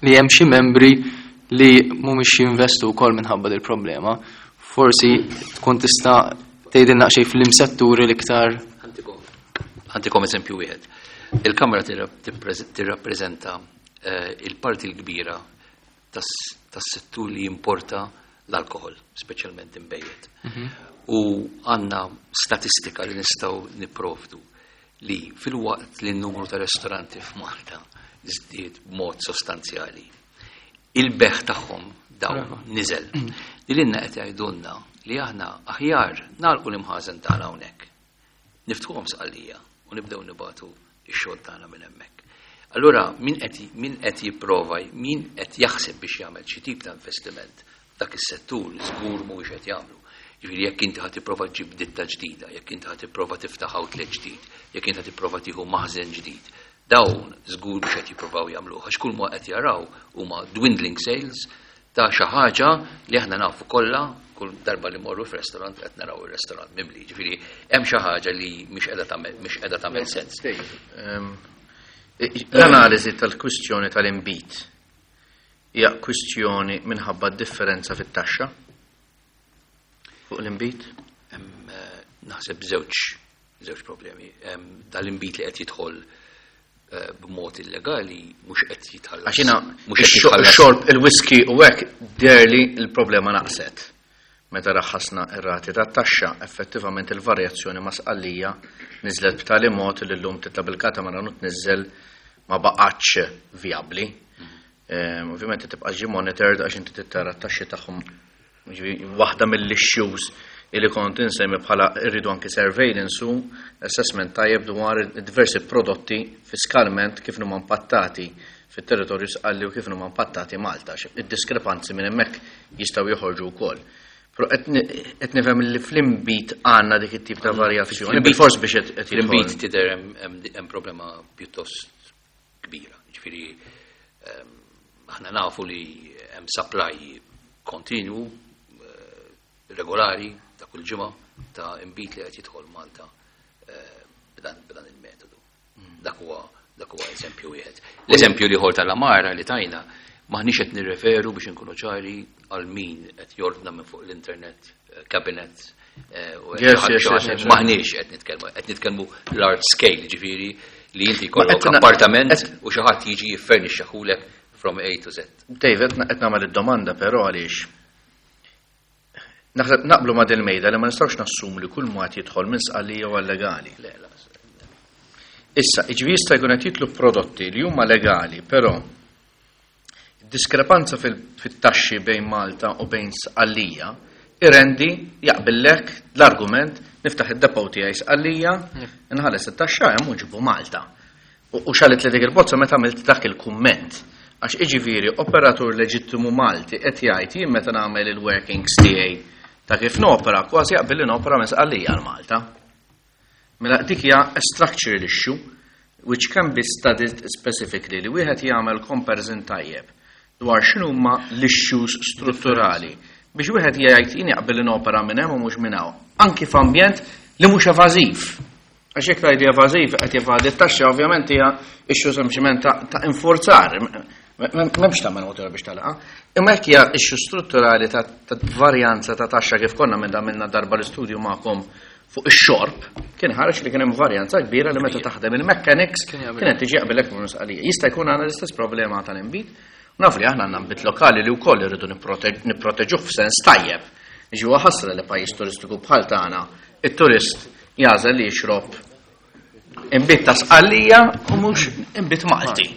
li hemm xi membri li mhumiex jinvestu wkoll minħabba dil problema. Forsi tkun tista' tgħidilna xejn fl-imsetturi l-iktar. Ħa ntikom eżempju wieħed. Il-Kamra tirrappreżenta il-parti l-kbira tas-settur li jimporta l-alkohol, speċjalment inbejjed. U għandna statistika li nistgħu nipprovdu li fil-waqt li n-numru ta' ristoranti f'Malta żdied b'mod sostanzjali, il-bejgħ tagħhom dawn niżel. Li lilna qed jgħidulna li aħna aħjar nagħlqu l-imħażen tagħna hawnhekk. Niftħuhom Sqallija u nibdew nibagħtu ix-xogħol tagħna minn hemmhekk. Allura min qed jipprova, min qed jaħseb biex jagħmel xi tip ta' investiment dak is-settur żgur mhuwiex qed jagħmlu. Ġifieri jekk inti ħa tipprova ġġib ditta ġdida, jekk inti ħa tipprova tiftaħ outlet ġdid, jekk inti ħa tipprova tieħu maħżen ġdid, dawn żgur biex qed jippruvaw jagħmluh, għax kull ma qed jaraw huma dwindling sales ta' xi ħaġa li aħna nafu kollha, kull darba li morru f'restaurant qed naraw ir-restaurant mimli. Ġifieri hemm xi ħaġa li mhix qiegħda tagħmel sens. L-analiżi tal-kwistjoni tal-inbid hija kwistjoni minħabba differenza fit-taxxa fuq l-inbid? Naħseb żewġ problemi. Dal-inbid li qed jidħol b'mod illegali mhux qed jitħallas. Għax jiena mhux qed jitħallas. ix-xorb, il-whisky u hekk deherli l-problema naqset. Meta raħħasna r-rati tat-taxxa, effettivament il-varjazzjoni ma' Sqallija niżlet b'tali mod li llum titla' bil-katamaran u tniżżel ma baqgħetx vijabbli. Ovvjament tibqa' ġi monitored għax inti trid tara t-taxxi tagħhom. Jiġifieri waħda mill-issues li kont insemmi bħala rridu anki surveillance u assessment tajjeb dwar diversi prodotti fiskalment kif huma impattati fit-territorju Sqalli u kif huma impattati Malta. Id-diskrepanzi minn hemmhekk jistgħu joħorġu wkoll. Però qed nifhem li fl-inbid għandna dik it-tip ta' varjazzjoni. Bilfors biex qed Fl-inbid jidħol. tidher hemm problema pjuttost kbira. Ġifieri aħna nafu li hemm supply kontinwu, regolari ta' kull ġimgħa ta' inbid li qed jidħol Malta b'dan il-metodu. Dak huwa eżempju wieħed. L-eżempju l-ieħor tal-Amara li tajna maħniex qed nirreferu biex inkunu ċari għal min qed jordna minn fuq l-internet cabinet u qed maħniex qed nitkellmu, qed nitkellmu large scale, ġifieri li inti Ma jkollok qed na- appartament qed u xi ħadd jiġi jiffernixxaħulek from A to Z. David, qed nagħmel id-domanda però għaliex naħseb naqblu ma' dil-mejda li ma nistgħux nassumu li kull mod jidħol minn Sqallija huwa legali. Le, le. Issa, jiġifieri jista' jkun qed jitlu prodotti li huma legali, però diskrepanza fit-taxxi bejn Malta u bejn Sqallija irendi jaqbillek l-argument niftaħ id-depot tiegħi Sqallija, nħalles it-taxxa hemm u nġibu Malta. U xalit li dik il-bozza meta għamilt dak il-kumment. Għax iġifieri operatur leġittimu Malti qed jgħid jien meta nagħmel il-workings tiegħi ta' kif nopera kważi jaqbel li nopera minn Sqallija għal Malta. Mela dik hija a structural issue which can be studied specifically li wieħed jagħmel comparison tajjeb dwar x'inhuma l-issues strutturali biex wieħed jgħid jien jaqbel li nopera minn hemm u mhux minn hawn. Anki f'ambjent li mhux evażiv. Għax jekk tgħid evażiv qed jevadi t-taxxa ovvjament hija issue sempliċement ta' infurzar. M'hemmx tagħmel motor biex talaqa. Imma jekk hija issue strutturali ta' varjanza ta' taxxa kif konna minn għamilna darba l-istudju magħkom fuq ix-xorb, kien ħareġ li kien hemm varjanza kbira li meta taħdem il-mechanics Kien jaqbel. kienet tiġi jaqbilek minn Sqallija. Jista' jkun għandna l-istess problema tal-inbid. Naf li aħna għandna nbid lokali li wkoll irridu nipproteġuh f'sens tajjeb. Jiġi huwa ħasra li pajjiż turistiku bħal tagħna, it-turist jagħżel li jixrob inbid ta' Sqallija u mhux inbid Malti.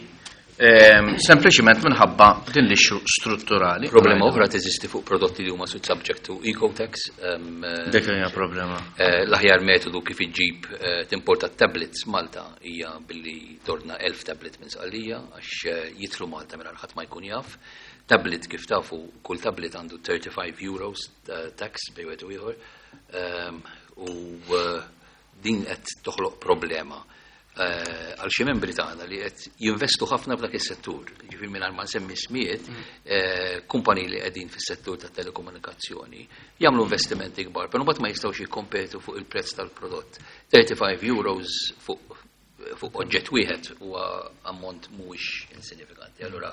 Sempliċiment minħabba din l-issue strutturali. Problema oħra teżisti fuq prodotti li huma subject to ecotax. Dik hija problema. L-aħjar metodu kif iġġib timporta tablets Malta hija billi torna 1000 tablet minn Sqallija għax jidħlu Malta mingħajr ħadd ma jkun jaf. Tablet kif tafu, kull tablet għandu 35 euros tax bejn wieħed u ieħor. U din qed toħloq problema għal xi membri tagħna li qed jinvestu ħafna f'dak is-settur. Ġifieri mingħajr ma nsemmi ismijiet, kumpaniji li qegħdin fis-settur tat-telekomunikazzjoni jagħmlu investimenti kbar, però mbagħad ma jistgħux jikkompetu fuq il-prezz tal-prodott. 35 euros fuq oġġett wieħed huwa ammont mhuwiex insinifikanti. Allura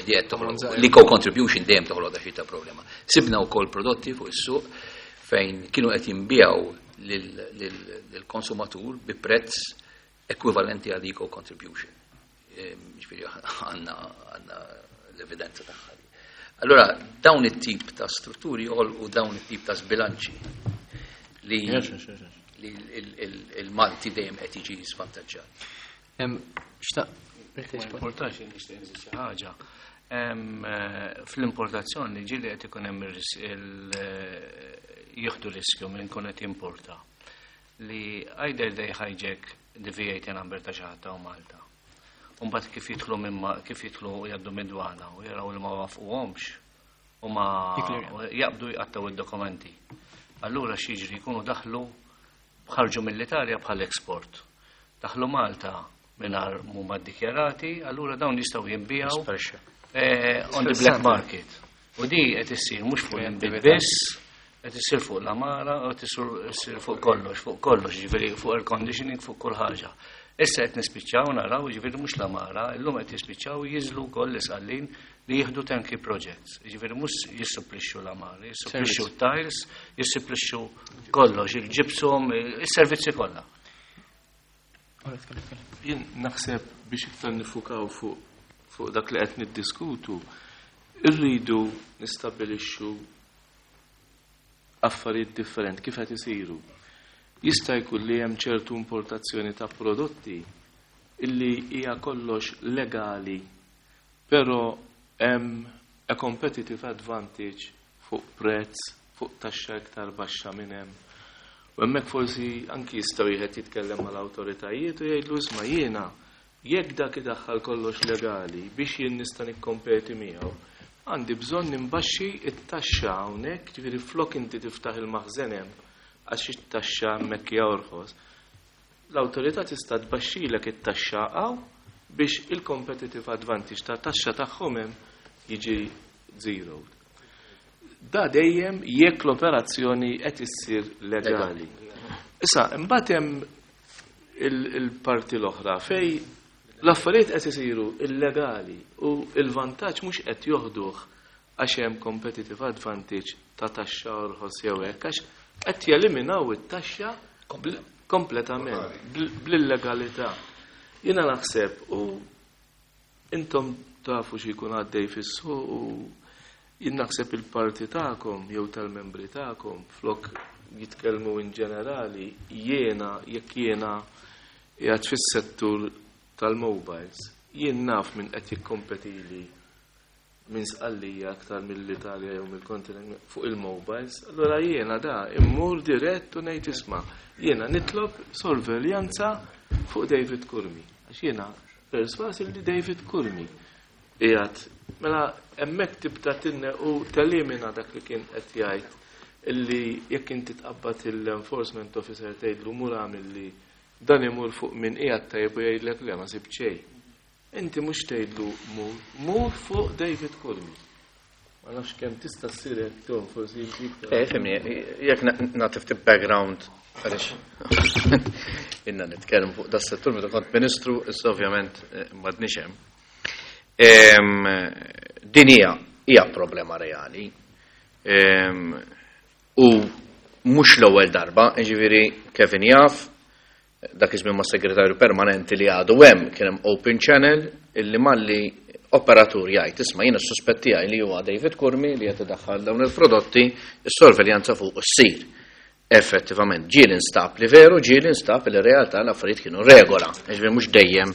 di qed toħloq l-eco contribution dejjem toħloq xi ta' problema. Sibna wkoll prodotti fuq is-suq fejn kienu qed jinbiegħu lill-konsumatur bi prezz ekwivalenti għal eco contribution. Ġifieri għandna l-evidenza tagħha. Allora dawn it-tip ta' strutturi joħolqu dawn it-tip ta' sbilanċi li il-Malti dejjem qed jiġi svantaġġat. Xtaq, Ma importax nixtieq nżid xi ħaġa. Fl-importazzjoni ġieli qed ikun hemm jieħdu riskju minn kun qed jimporta li either they hijack the VAT number ta' xi ħadd ta' Malta. U mbagħad kif jidħlu minn kif jidħlu jgħaddu mid-dwana u jaraw li ma wafquhomx u ma Jiklir. jaqbdu jqattaw id-dokumenti. Allura x'jiġri jkunu daħlu ħarġu mill-Italja bħal export. Daħlu Malta mingħajr mhuma ddikjarati, allura dawn jistgħu jinbiegħu Sparixxa. on the black market. U di qed issir mhux fuq l-inbid biss, qed issir fuq l-amara, u qed issir fuq kollox, fuq kollox, ġifieri fuq air conditioning, fuq kull ħaġa. Issa qed nispiċċaw naraw, ġifieri mhux l-amara, illum qed jispiċċaw jiżlu wkoll l-isqallin li jieħdu turnkey projects. Ġifieri mhux jissupplixxu l-amara, jissupplixxu tiles, jissupplixxu kollox, il-gypsum, is-servizzi kollha. Jien naħseb biex iktar nifukaw fuq dak li qed niddiskutu, irridu nistabbilixxu affarijiet differenti kif qed isiru. Jista' jkun li hemm ċertu importazzjoni ta' prodotti illi hija kollox legali, però hemm a competitive advantage fuq prezz, fuq taxxa iktar baxxa minn hemm. U hemmhekk forsi anki jista' wieħed jitkellem mal-awtoritajiet u jgħidlu, isma', jiena jekk dak idaħħal kollox legali, biex jien nista' nikkompeti miegħu, għandi bżonn nimbaxxi it-taxxa hawnhekk, ġifieri flok inti tiftaħ il-maħżen hemm għax it-taxxa hemmhekk hija orħos. L-awtorità tista' tbaxxilek it-taxxa hawn biex il-competitive advantage ta' taxxa tagħhom hemm jiġi zero. Da dejjem jekk l-operazzjoni qed issir legali. Issa, imbagħad hemm il-parti l-oħra fej l-affarijiet qed isiru illegali u il-vantaġġ mhux qed joħduh għax hemm competitive advantage ta' taxxa orħos jew hekk, għax qed jeliminaw it-taxxa kompletament bl-illegalità. Jiena naħseb, u intom tafu xi jkun għaddej fis-suq, u jien naħseb il-parti tagħkom jew tal-membri tagħkom flok jitkellmu in ġenerali, jiena jekk jiena qiegħed fis-settur tal-mobiles, jien naf min qed jikkompetili minn Sqallija aktar mill-Italja jew mill-kontinent fuq il-mobiles, allora jiena da immur dirett u ngħid, isma', jiena nitlob sorveljanza fuq David Curmi. Għax jiena perswas li David Curmi qiegħed. Mela hemmhekk tibda tinne u telimina dak li kien qed jgħid illi jekk inti tqabbad il-enforcement officer, tgħidlu mur għamil li dan, imur fuq min qiegħed tajjeb u jgħidlek le, ma sib xejn. Inti mhux tgħidlu mur, mur fuq David Curmi. Ma nafx kemm tista' ssir hekk, Tom, forsi inti iktar. Fimni, jekk nagħti ftit background, għaliex inna nitkellem fuq das settur meta kont ministru, issa ovvjament m'għadniex hemm. Din hija problema reali. U mhux l-ewwel darba, jiġifieri Kevin jaf, dak iż-żmien ma' segretarju permanenti li għadu hemm, kien hemm open channel illi malli operatur jgħid, isma', jiena suspett tiegħi li huwa David Curmi li qed idaħħal dawn il-prodotti, is-sorveljanza fuq issir. Effettivament, ġieli nstab li veru, ġieli nstab li realtà l-affarijiet kienu regola. Ġifieri mhux dejjem,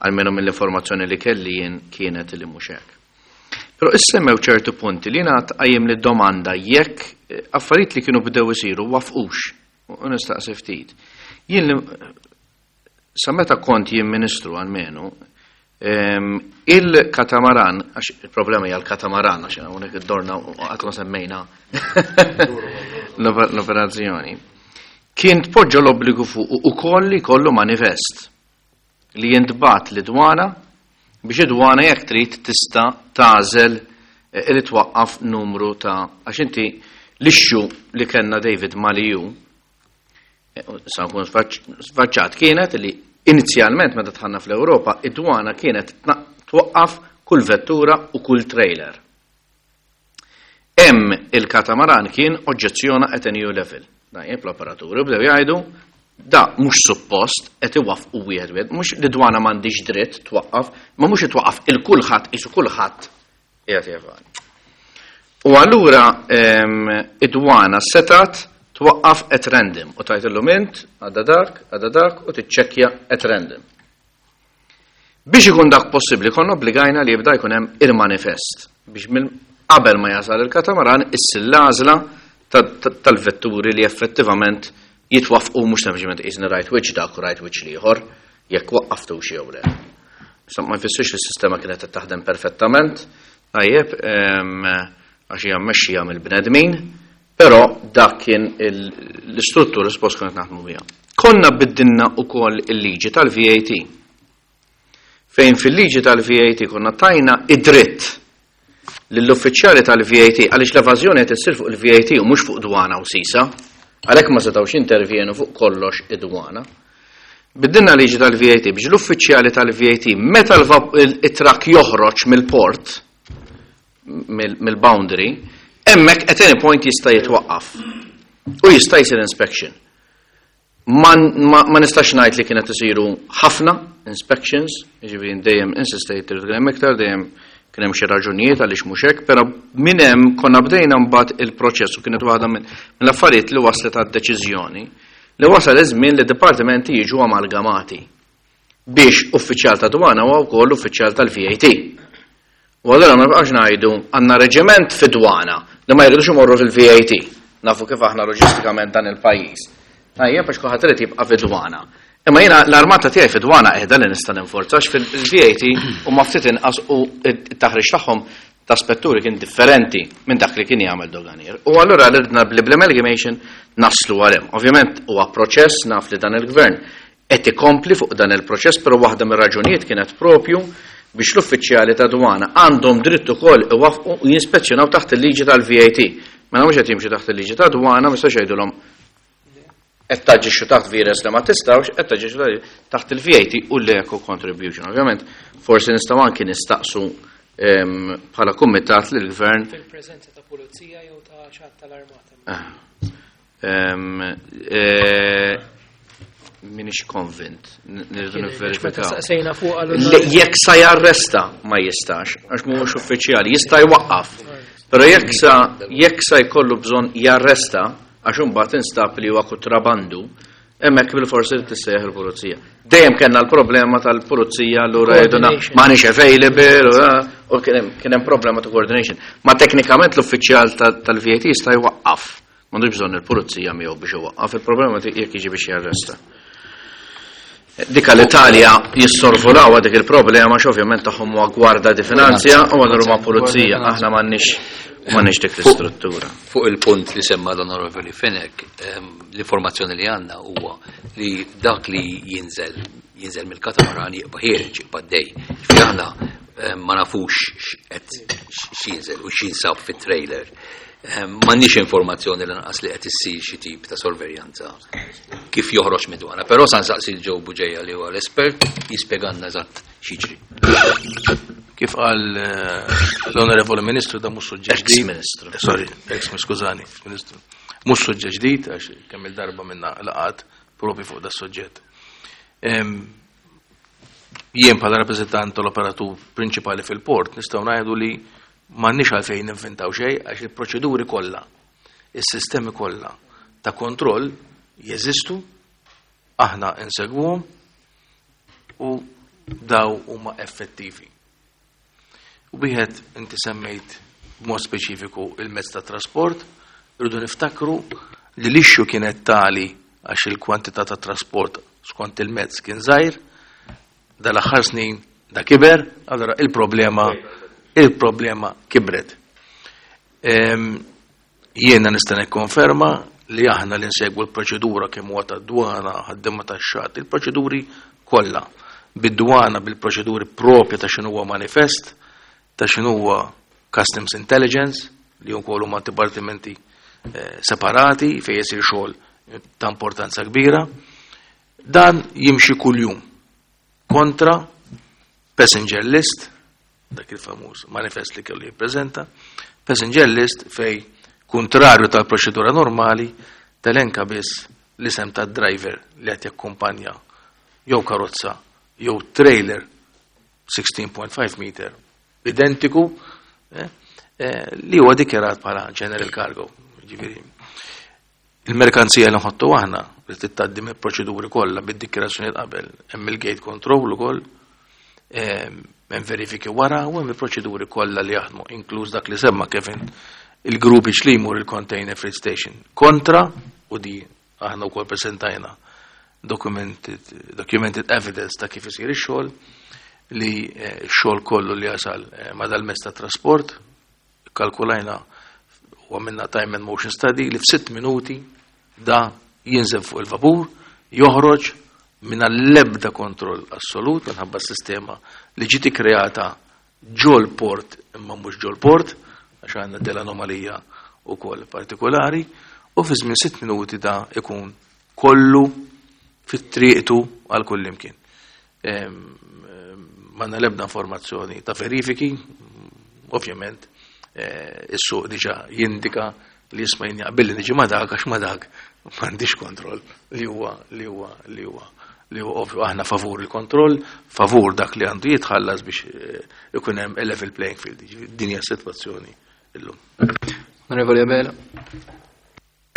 almenu mill-informazzjoni li kelli jien kienet li mhux hekk. Però issemmew ċertu punti li ngħad qajjem li domanda jekk affarijiet li kienu bdew isiru wafqux. U nistaqsi ftit. Jien li sa meta kont jien ministru almenu, il-katamaran, għax il-problema hija l-katamaran, għax hawnhekk id-dorna u qatt ma semmejna l-operazzjoni. Kien tpoġġa l-obbligu fuq ukoll li jkollu manifest li jintbagħat lid-dwana biex id-dwana jekk trid tista' tagħżel li twaqqaf numru ta', għax inti l-issue li kellna David mal-EU, sa nkun sfaċċat, kienet li inizjalment meta dħalna fl-Ewropa id-dwana kienet twaqqaf kull vettura u kull trailer. Hemm il-katamaran kien oġġezzjona at a new level. Dajjeb, l-operaturi bdew jgħidu da mhux suppost qed iwaffqu wieħed wieħed, mhux li dwana m'għandix dritt twaqqaf, ma mhux itwaqqaf il-kulħadd qisu kulħadd qiegħed jevadi. U allura id-dwana setat twaqqaf at random u tgħid int għadda dak, għadda dak u tiċċekkja at random. Biex ikun dak possibbli konna obbligajna li jibda jkun hemm il-manifest biex minn qabel ma jasal il-katamaran issir l-għażla tal-vetturi li effettivament jitwafqu, mhux sempliċement qisni rajt wiċċ dak u rajt wiċċ l-ieħor jekk waqqaftu xi jew le. Issa ma jfissirx li s-sistema kienet qed taħdem perfettament, tajjeb, għax hija mmexxija mill-bnedmin, però dak kien l-istruttura suppost kienet naħdmu biha. Konna biddilna wkoll il-liġi tal-VAT. Fejn fil-liġi tal-VAT konna tajna id-dritt lill-uffiċjali tal-VAT, għaliex l-evażjoni qed issir fuq il-VAT u mhux fuq dwana u sisa, għalhekk ma setgħux intervjenu fuq kollox id-dwana. Biddilna liġi tal-VAT biex l-uffiċjali tal-VAT meta it-trakk joħroġ mill-port, mill-boundary, hemmhekk at any point jista' jitwaqqaf u jista' jsir inspection. Ma, ma, ma nistax ngħid li kienet isiru ħafna inspections, jiġifieri dejjem insistejt irid kien hemm iktar, dejjem kien hemm xi raġunijiet għaliex mhux hekk, però minn hemm konna bdejna mbagħad il-proċess u kienet waħda mill-affarijiet li waslet għad-deċiżjoni li wasal iż-żmien li dipartimenti jiġu amalgamati biex uffiċjal ta' dwana huwa wkoll uffiċjal tal-VAT. U allura ma nibqax ngħidu għandna reġiment fi dwana li ma jridux imorru fil-VAT. Nafu kif aħna loġistikament dan il-pajjiż. Tajjeb għax kulħadd irid jibqa' fi dwana. Imma jiena l-armata tiegħi fi dwana qiegħda li nista' ninforza għax fil-VAT huma ftit inqas u t-taħriġ tagħhom ta' spetturi kien differenti minn dak li kien jagħmel doganier. U allura ridna bl-amalgamation naslu għal hemm. Ovvjament huwa proċess naf li dan il-gvern qed ikompli fuq dan il-proċess, però waħda mir-raġunijiet kienet propju biex l-uffiċjali ta' dwana għandhom dritt ukoll iwaffqu u jinspezzjonaw taħt il-liġi tal-VAT. Mela mhux qed jimxu taħt il-liġi ta' dwana, ma jistax jgħidulhom qed taġixxu taħt vires li ma tistgħux, qed taġixxu taħt il-VAT u l-eco contribution. Ovvjament, forsi nistgħu anki nistaqsu bħala kumitat lill-gvern. Fil-preżenza ta' pulizija jew ta' xi ħadd tal-armata. Minix konvint, nirridu nivverifikaw. Jekk sa jarresta ma jistax, għax mhuwiex uffiċjali, jista' jwaqqaf. Però jekk sa jekk sa jkollu bżonn jarresta, għax imbagħad instab li huwa kutrabandu, hemmhekk bil-forsi li tissejjaħ il-pulizija. Dejjem kellna l-problema tal-pulizija allura jgħiduna m'aħniex available u kien hemm problema ta' coordination. Ma teknikament l-uffiċjal tal-VAT jista' jwaqqaf. M'għandux bżonn il-pulizija miegħu biex iwaqqaf, il-problema jekk jiġi biex jarresta. Dika l-Italja jissorvolaw dik il-problema għax ovvjament tagħhom huwa gwarda di finanzja u allura huma pulizija, aħna m'għandniex m'għandniex dik l-istruttura. Fuq il-punt li semma l-Onorevoli Fenech, l-informazzjoni li għandna huwa li dak li jinżel jinżel mill-katamaran jibqa' ħiereġ, jibqa' għaddej. Ġifieri aħna ma nafux x'qed x'jinżel u x'jinsab fit-trailer. M'għandniex informazzjoni lanqas li qed issir xi tip ta' sorveljanza kif joħroġ mid-dwana. Però sa nsaqsi l Joe Bugeja li huwa l-espert jispjegalna eżatt x'jiġri. Kif qal l-Onorevoli Ministru da mhux suġġett ġdid. Ex-Ministru. Sorry, ex skużani, Ministru. Mhux suġġett ġdid għax kemm il-darba minna laqat propju fuq da suġġett. Jien bħala rappreżentant tal-operatur prinċipali fil-port nistgħu ngħidu li m'għandniex għalfejn ninventaw xejn għax il-proċeduri kollha, is-sistemi kollha ta' kontroll jeżistu, aħna insegwuhom u daw huma effettivi. U wieħed inti semmejt b'mod speċifiku il-mezz ta' trasport, irridu niftakru li l-issue kienet tali għax il-kwantità ta' trasport skont il-mezz kien żgħir, dal-aħħar snin da kiber, allora il-problema kibret. Jiena nista' nikkonferma li aħna li nsegwu l-proċedura kemm huwa tad-dwana, ħaddiema tax-xatt, il-proċeduri kollha. Bid-dwana bil-proċeduri propja ta' x'inhu huwa manifest, ta' x'inhu huwa Customs Intelligence, li wkoll huma dipartimenti separati fejn jsir xogħol ta' importanza kbira. Dan jimxi kuljum kontra passenger list, dak il-famuż manifest li kellu jippreżenta, passenger list fej kontrarju tal-proċedura normali telenka biss l-isem tad-driver li qed jakkumpanja jew karozza jew trailer 16.5 meter identiku li huwa dikjarat bħala general cargo. Ġifieri, il-merkanzija li nħottu aħna li tgħaddi mill-proċeduri kollha bid-dikjarazzjoni qabel, hemm il-gate control ukoll, hemm verifiki wara u hemm il-proċeduri kollha li jaħdmu, inkluż dak li semma Kevin, il-groupage li jmur il-container freight station kontra, u di aħna wkoll presentajna documented evidence ta' kif isir ix-xogħol, li x-xogħol kollu li jasal ma' dal-mezz ta' trasport, kalkulajna u għamilna time and motion study li f'6 minuti da jinżel fuq il-vapur, joħroġ minn l-ebda kontroll assolut minħabba s-sistema li ġiet ikkreata ġol port imma mhux ġol port, għax għandna dell-anomalija wkoll partikolari, u fi żmien 6 minuti da ikun kollu fit-triqtu għal kull imkien. M'għandna l-ebda informazzjoni ta' verifiki, ovvjament, is-suq diġà jindika li jisma' jien jaqbilli niġi ma' dak għax ma' dak M'għandix kontroll li huwa li huwa li huwa li huwa ovvju. Aħna favur il-kontroll, favur dak li għandu jitħallas biex ikun hemm a level playing field. Jiġifieri din hija s-sitwazzjoni illum. Onorevoli Abela.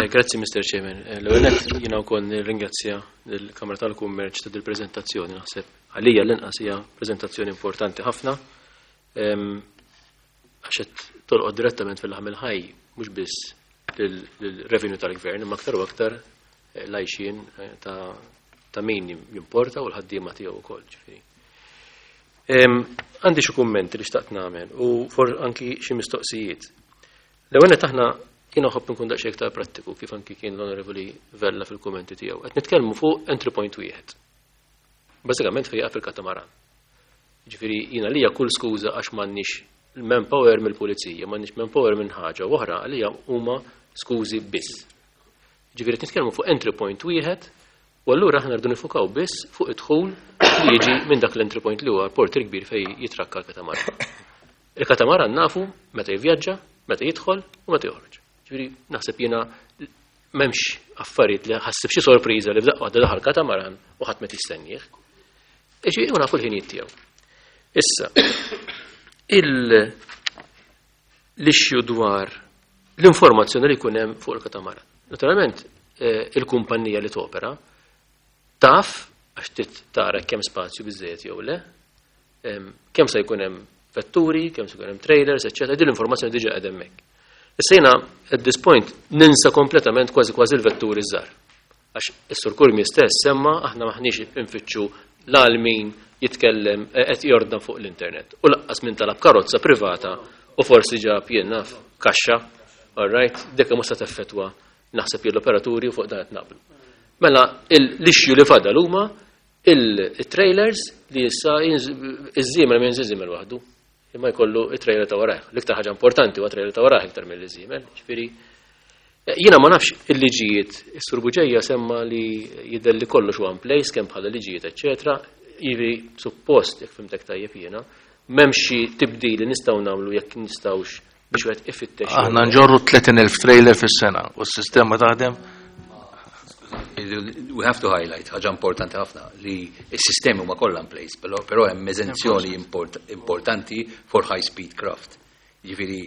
Grazzi, Mr. Chairman. L-ewwel nett jiena wkoll nirringrazzja lill-Kamra tal-Kummerċ ta' dil-preżentazzjoni. Naħseb għalija l-inqas hija preżentazzjoni importanti ħafna, għax qed tolqot direttament fil-laħam il-ħaj mhux biss lill-revenue tal-gvern, imma aktar u aktar l-għajxien ta' min jimporta u l-ħaddiema tiegħu wkoll, ġifieri. Għandi xi kummenti li xtaqt nagħmel u for anki xi mistoqsijiet. L-ewwel nett aħna jiena nħobb nkun daqsxejn iktar prattiku kif anki kien l-Onorevoli Vella fil-kummenti tiegħu. Qed nitkellmu fuq entry point wieħed. Bażikament fejn jaqaf il-katamaran. Ġifieri jiena lija kull skuża għax m'għandniex il-manpower mill-pulizija, m'għandniex manpower minn ħaġa u oħra għalija huma skużi biss. Ġifieri qed nitkellmu fuq entry point wieħed u allura aħna rridu nifukaw biss fuq id-dħul li jiġi minn dak l-entry point li huwa l-port il-kbir fejn jitrakka l-katamaran. Il-katamaran nafu meta jivvjaġġa, meta jidħol u meta joħroġ. Ġifieri naħseb jiena m'hemmx affarijiet li ħassib xi sorpriża li f'daqqa waħda daħal katamaran u ħadd ma tistennieh. Ġifieri u nafu l-ħinijiet tiegħu. Issa, l-issue dwar l-informazzjoni li jkun hemm fuq il-katamaran. Naturalment, il-kumpanija li topera taf għax trid tara kemm spazju biżejjed jew le, kemm se jkun hemm vetturi, kemm se jkun hemm trailers, eċċetera. Din l-informazzjoni diġà qed hemmhekk. Issa jiena at this point ninsa kompletament kważi kważi l-vetturi żgħar. Għax is-Sur Curmi stess semma aħna maħniex infittxu l min jitkellem qed jordna fuq l-internet. U laqqas min talab karozza privata u forsi ġab jien naf kaxxa, all right, dik mhux se teffettwa naħseb jien l-operaturi u fuq dan qed naqblu. Mela l-issue li fadal huma il-trailers li issa iż-żiemel ma jinżil żiemel waħdu, imma jkollu it-trailer ta' warajh. L-iktar ħaġa importanti huwa trailer ta' warajh iktar mill-żiemel, ġifieri jiena ma nafx il-liġijiet, is-Sur Bugeja semma li jidher li kollox huwa in place kemm bħala liġijiet, eċċetera. Jiġifieri suppost jekk fimtek tajjeb jiena, m'hemmx xi tibdil li nistgħu nagħmlu jekk nistgħux biex wieħed ifittex. Aħna nġorru 30,000 trailer fis-sena u s-sistema taħdem. We have to highlight ħaġa importanti ħafna li s-sistemi huma kollha in place, però hemm eżenzjoni importanti for high speed craft. Jiġifieri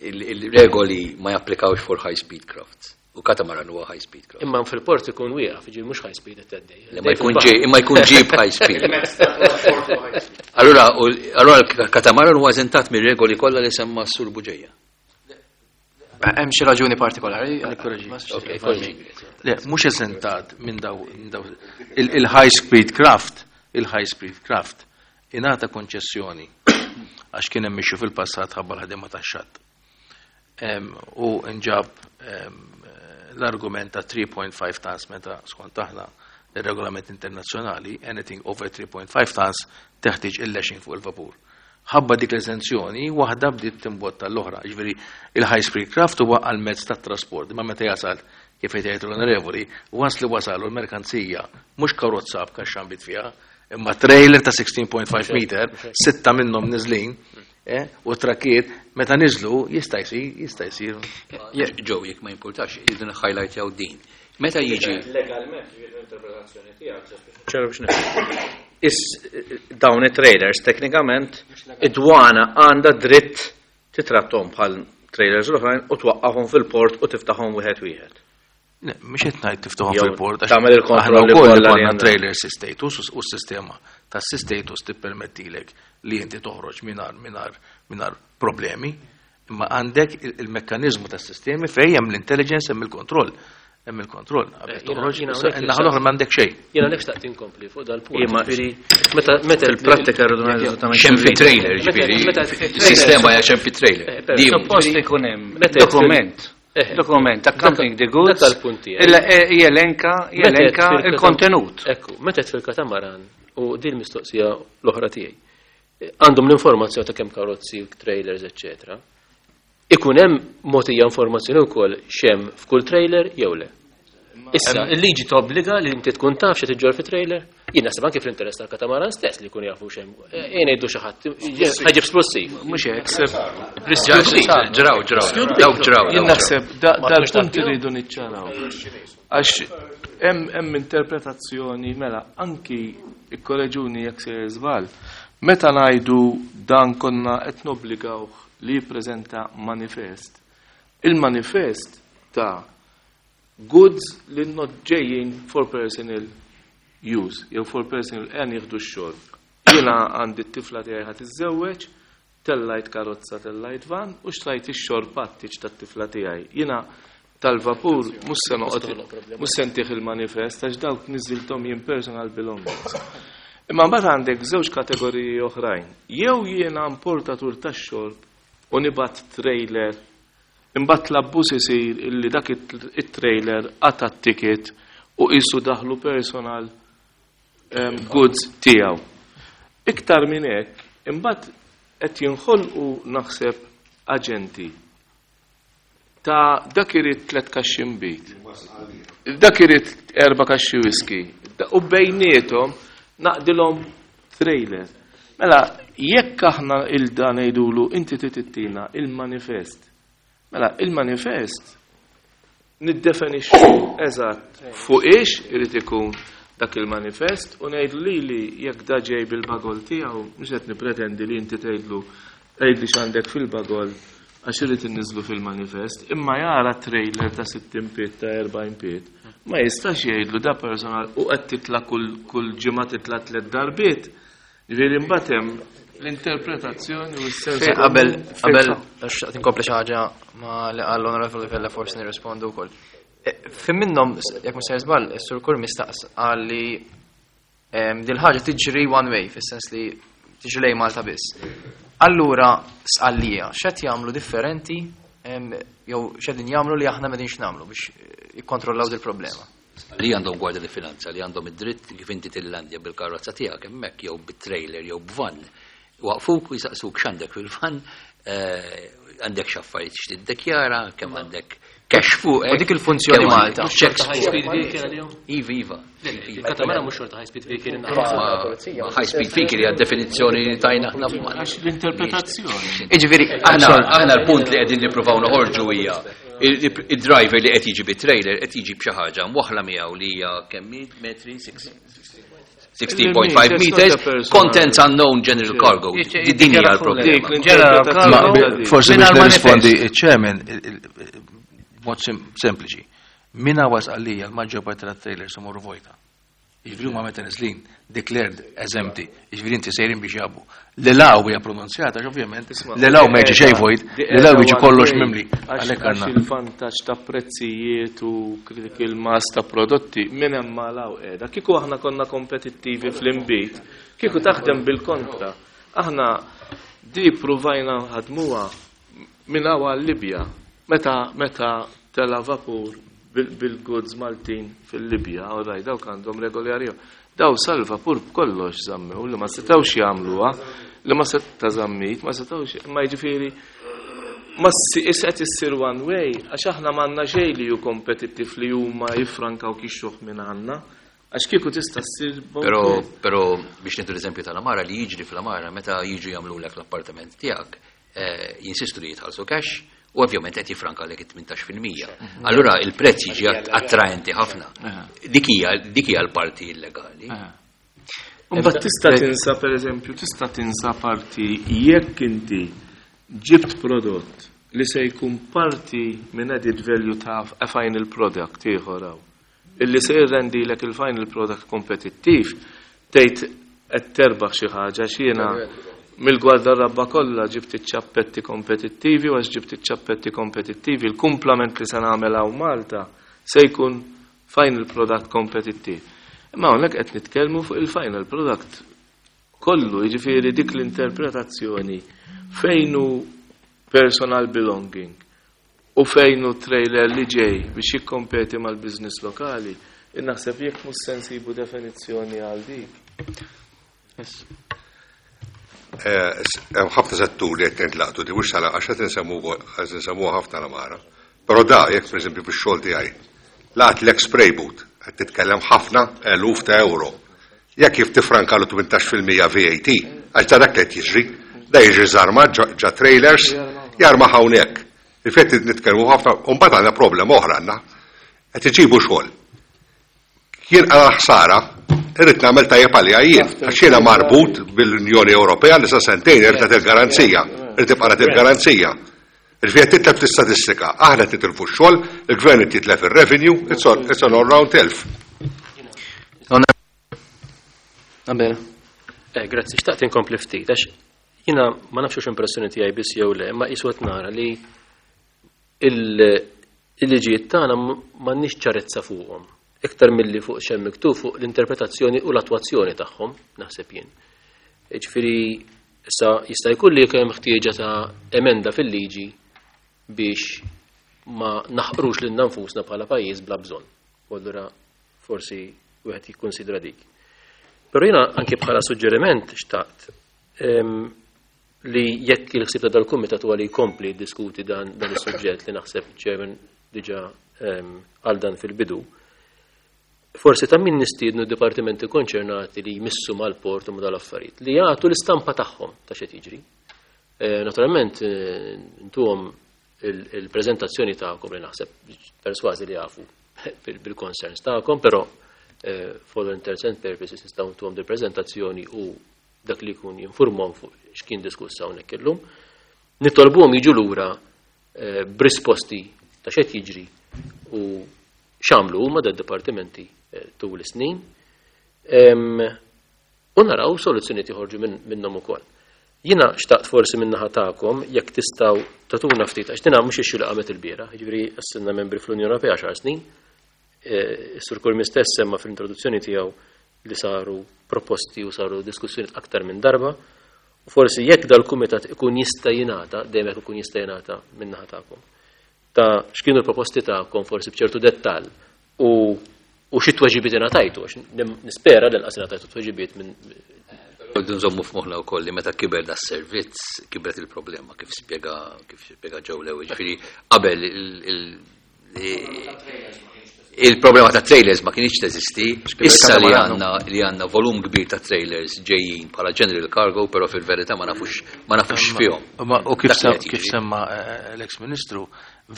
il-regoli ma japplikawx for high speed crafts. U katamaran huwa high speed craft. Imma fil-port ikun wieqaf, jiġifieri mhux high speed qed tgħaddej. Le, ma jkun ġej, imma jkun ġib high speed. Allura, l-katamaran huwa eżentat mir-regoli kollha li semma s-Sur Bugeja. Hemm xi raġuni partikolari? Ok, korreġi. Le, mhux eżentat minn daw, minn daw il-high speed craft, il-high speed craft ingħata konċessjoni għax kien hemm issue fil-passat ħabba l-ħadima tax-xatt. U nġab l-argument ta' 3.5 tons meta skont aħna il-regolament internazzjonali, anything over 3.5 tons teħtieġ il-lashing fuq il-vapur. Ħabba dik l-eżenzjoni, waħda bdiet timbotta l-oħra. Ġifieri il-high speed craft huwa għal mezz tat trasport, imma meta jasal kif qed jgħid l-onorevoli, once li wasalu l-merkanzija mhux karozza b'kaxxa nbid fiha, imma trailer ta' 16.5 meter, 6 minnhom niżlin, u trakkiet, meta niżlu jista' jsir, jista' jsir. Ġew, jekk ma jimpurtax, jridu highlight din. Meta jiġi Legalment, l-interpretazzjoni tiegħek. ċara biex nifhem. Dawn it-trailers teknikament id-dwana għandha dritt titrattom bħal trailers l-oħrajn u twaqqafhom fil-port u tiftaħhom wieħed wieħed. Le, mhux qed ngħid tiftaħhom Jew fil-port, għax tagħmel il-kontrolli aħna wkoll kollha li ikollna għandha. trailer status u s-sistema tas status tippermettilek li inti toħroġ mingħajr problemi, imma għandek il-mekkaniżmu tas-sistemi fejn hemm l-intelligence, hemm il-kontroll. Hemm il-kontroll. Qabel toħroġ, Jiena issa hawnhekk in-naħa l-oħra m'għandek xejn. Jiena hawnhekk xtaqt inkompli fuq dal-punt. Imma Ġifieri, meta fil-prattika rridu ngħidu eżattament Xem fi x'irridu. trailer, ġifieri, sistema hija xem fi trailer. Di- Suppost ikun hemm Meta dokument. Dokument, accompanying the goods. Dak tal-punt tiegħi. Illa, jelenka il-kontenut. Ekku, meta fil-katamaran u din mistoqsija l-oħra tiegħi. Għandhom l-informazzjoni ta' kemm karozzi, trailers, eċċetera. Ikun hemm mogħtija informazzjoni wkoll x'hemm f'kull trailer jew le. Issa, il-liġi tobbliga li inti tkun taf xi tiġġor fi trailer. Jien naħseb anke fl-interess tal-katamaran stess li jkun jafu x'hemm. Jien ngħidu xi ħadd ħaġib splussiv. Mhux hekk. Ġraw, ġraw, dawk ġraw. Jien naħseb dal-punt irridu niċċaraw. Għax hemm interpretazzjoni mela anki ikkoreġuni jekk se żball. Meta ngħidu dan konna qed nobbligawh li jippreżenta manifest. Il-manifest ta' goods li not ġejjin for personal use, jew for personal għan jieħdu x-xogħol. Jiena għandi t-tifla tiegħi ħa tiżżewweġ, tellajt karozza, tellajt van u xtrajt ix-xorb għat-tieġ tat-tifla tiegħi. Jiena tal-vapur mhux se noqgħod mhux se ntih il-manifest għax dawk niżilthom jien personal belongings. Imma mbagħad għandek żewġ kategoriji oħrajn. Jew jiena importatur tax-xorb u nibgħat trailer, imbagħad l-abbuż isir illi dak it-trailer qata' t-ticket u qisu daħlu personal goods tiegħu. Iktar minn hekk, imbagħad qed jinħolqu naħseb aġenti ta' dak irid 3 kaxxi nbid, dak irid 4 kaxxi whisky, u bejniethom naqdilhom trailer. Mela, jekk aħna il-da ngħidulu inti titittina il-manifest. Mela, il-manifest niddefinixxu eżatt fuq ix irid ikun dak il-manifest u ngħidlu lili jekk da ġej bil-bagol tiegħu, mhux qed nippretendi li inti tgħidlu għidli x'għandek fil-bagol għax irid inniżlu fil-manifest, imma jara trailer ta' 60 pied ta' 40 pied, ma jistax jgħidlu da personal u qed titla' kull ġimgħa titla' 3 darbiet. Ġifieri mbagħad hemm l-interpretazzjoni u s-sens. Qabel, qabel, xtaqt inkompli xi ħaġa ma li qal l-Onorevoli Vella forsi nirrispondu wkoll. Fim minnhom, jekk mhux sejjer żball, is-Sur Curmi staqs qal li dil ħaġa tiġri one way, fis-sens li tiġri lejn Malta biss. Allura sqallija, x'qed jagħmlu differenti, jew x'qegħdin jagħmlu li aħna m'qegħdinx nagħmlu biex jikkontrollaw dil-problema? Li għandhom Gwardja di Finanza, li għandhom id-dritt kif inti tillandja bil-karozza tiegħek hemmhekk jew bit-trailer jew b'van. Waqfuk u jisaqsuk x'għandek fil-van, għandek x'affarijiet x'tiddikjara, kemm għandek cash fuq. U dik il-funzjoni Kemm Malta. għandek checks High fuq. speed vehicle għalihom? Iva, iva. Il-katamara mhux xorta high speed vehicle Ma high speed vehicle hija definizzjoni li tajna aħna f'Malta. Għax l-interpretazzjoni. Jiġifieri, aħna l-punt li qegħdin nippruvaw noħorġu hija il-driver li qed jiġi bit-trailer qed jiġi b'xi ħaġa mwaħħla miegħu li hija kemm metri? 16.5 meters, contents unknown general cargo. Din hija l-problema. Ma forsi biex nirrispondi il-chairman, mod sempliċi. Min hawn għalija l-maġġor parti tat-trailers imorru vojta. Jiġifieri huma meta neżlin declared as empty, jiġifieri inti sejrin biex jabu. L-law hija pronunzjata, għax ovvjament, l-law ma jiġi xejn vojt, l-law jiġi kollox mimli. Għalhekk Għax għandna. il-vantaġġ ta' prezzijiet u critical mass ta' prodotti minn hemm ma law qiegħda. Kieku aħna konna kompetittivi fl-inbid, kieku taħdem bil-kontra. Aħna di pruvajna ħadmuha minn hawn għal-Libja. Meta tela vapur bil-goods Maltin fil-Libja, all right, dawk għandhom regoli għariju. Daw sal-vapur b'kollox żammew li ma setgħux jagħmluha, li ma seta' żammit, ma setgħux, ma jiġifieri ma qed issir one way, għax aħna m'għandna xejn li hu kompetittiv li huma jiffrankaw kixxuh minn għandna. Għax kieku tista' ssir both Però, ways. però biex nieħdu l-eżempju tal-Amara li jiġri fl-Amara meta jiġu jagħmlulek l-appartament tiegħek, jinsistu li jitħallsu cash u ovvjament qed jifranka lek it-tmintax fil-mija. Allura il-prezz jiġi attraenti ħafna. Dik hija l-parti illegali. Imbagħad tista' tinsa, per eżempju, tista' tinsa parti jekk inti ġibt prodott li se jkun parti minn added value ta' a final product ieħor hawn. Illi se jirrendilek il-final product kompetittiv, tgħid qed terbaħ xi ħaġa x'jiena mill-gwardarabba kollha ġibt iċ-ċappetti kompetittivi u għax ġibt iċ-ċappetti kompetittivi, il-kumplament li se nagħmel hawn Malta se jkun final product kompetittiv. Imma hawnhekk qed nitkellmu fuq il-final product kollu, jiġifieri dik l-interpretazzjoni fejn hu personal belonging u fejn hu trailer li ġej biex jikkompeti mal-business lokali, naħseb jekk mhux se nsibu definizzjoni għal dik. Hemm ħafna setturi qed nintlaqtu di mhux sala għax qed insemmu qed insemmuha ħafna l-Amara. Però da jekk pereżempju fix-xogħol tiegħi. Laqatlek spray boot, qed titkellem ħafna eluf ta' euro. Jekk kif tifrankalu 18% VAT, għax da dak li qed jiġri, da jiġri żarma ġa trailers, jarma hawnhekk. Il-fatt nitkellmu ħafna, u mbagħad għandna problema oħra għandna. Qed iġibu xogħol. Jien għal ħsara, irrid nagħmel tajjeb għalija jien, għax jiena marbut bil-Unjoni Ewropea li sa sentejn irid nagħti l-garanzija, irid tibqa' nagħti l-garanzija. Ġifieri qed titlef l-istatistika, aħna qed nitilfu x-xogħol, il-gvern qed jitlef ir-revenue, it's all, it's an all-round telf. Nabel. Grazzi, xtaqt inkompli ftit, għax jiena ma nafx hux impressjoni tiegħi biss jew le, imma qisu qed nara li il-liġijiet tagħna m'għandniex ċarezza fuqhom. Iktar milli fuq x'hemm miktub fuq l-interpretazzjoni u l-attwazzjoni tagħhom, naħseb jien. Ġifieri issa jista' jkun li hemm ħtieġa ta' emenda fil-liġi biex ma naħqrux lilna nfusna bħala pajjiż bla bżonn. U allura forsi wieħed jikkunsidra dik. Però jiena anke bħala suġġeriment xtaqt li jekk il-ħsieb ta' dal-kumitat huwa li jkompli jiddiskuti dan is-suġġett li naħseb chairman diġà għal dan fil-bidu, forsi ta' min nistiednu d-dipartimenti konċernati li jmissu mal-port u ma' dal-affarijiet, li jagħtu l-istampa tagħhom ta' x'qed jiġri. Naturalment, intuhom il-preżentazzjoni tagħkom li naħseb persważi li jafu bil-concerns tagħkom, però for all intents and purposes nistgħu ntuhom dil-preżentazzjoni u dak li jkun jinformhom fuq x'kien diskuss hawnhekk illum. Nitolbuhom jiġu lura b'risposti ta' x'qed jiġri u x'għamlu huma dad-dipartimenti tul is-snin. U naraw soluzzjonijiet joħorġu minnhom ukoll. Jiena xtaqt forsi min-naħa tagħkom jekk tistgħu tagħtuna ftit, għax dina mhux issue li qamet il-bieraħ, jiġifieri għassilna membri fl-Unjoni Ewropea 10 snin. Is-Sur Curmi stess semma fl-introduzzjoni tiegħu li saru proposti u saru diskussjoni aktar minn darba. U forsi jekk dal-kumitat ikun jista' jingħata, dejjem jekk ikun jista' jingħata min-naħa tagħkom, ta' x'kienu l-proposti tagħkom forsi b'ċertu dettall u xi tweġibiet ingħatajtu, għax nispera li lanqas ingħatajtu tweġibiet minn Rridu nżommu f'moħħna wkoll li meta kiber da servizz kibret il-problema kif spjega Joe Lew, ġifieri qabel il-problema ta' trailers ma kienx teżisti, issa li għandna volum kbir ta' trailers ġejjin bħala general cargo, però fil-verità ma nafux fihom. U Dak li qed kif jiġri. semma l-ex-ministru,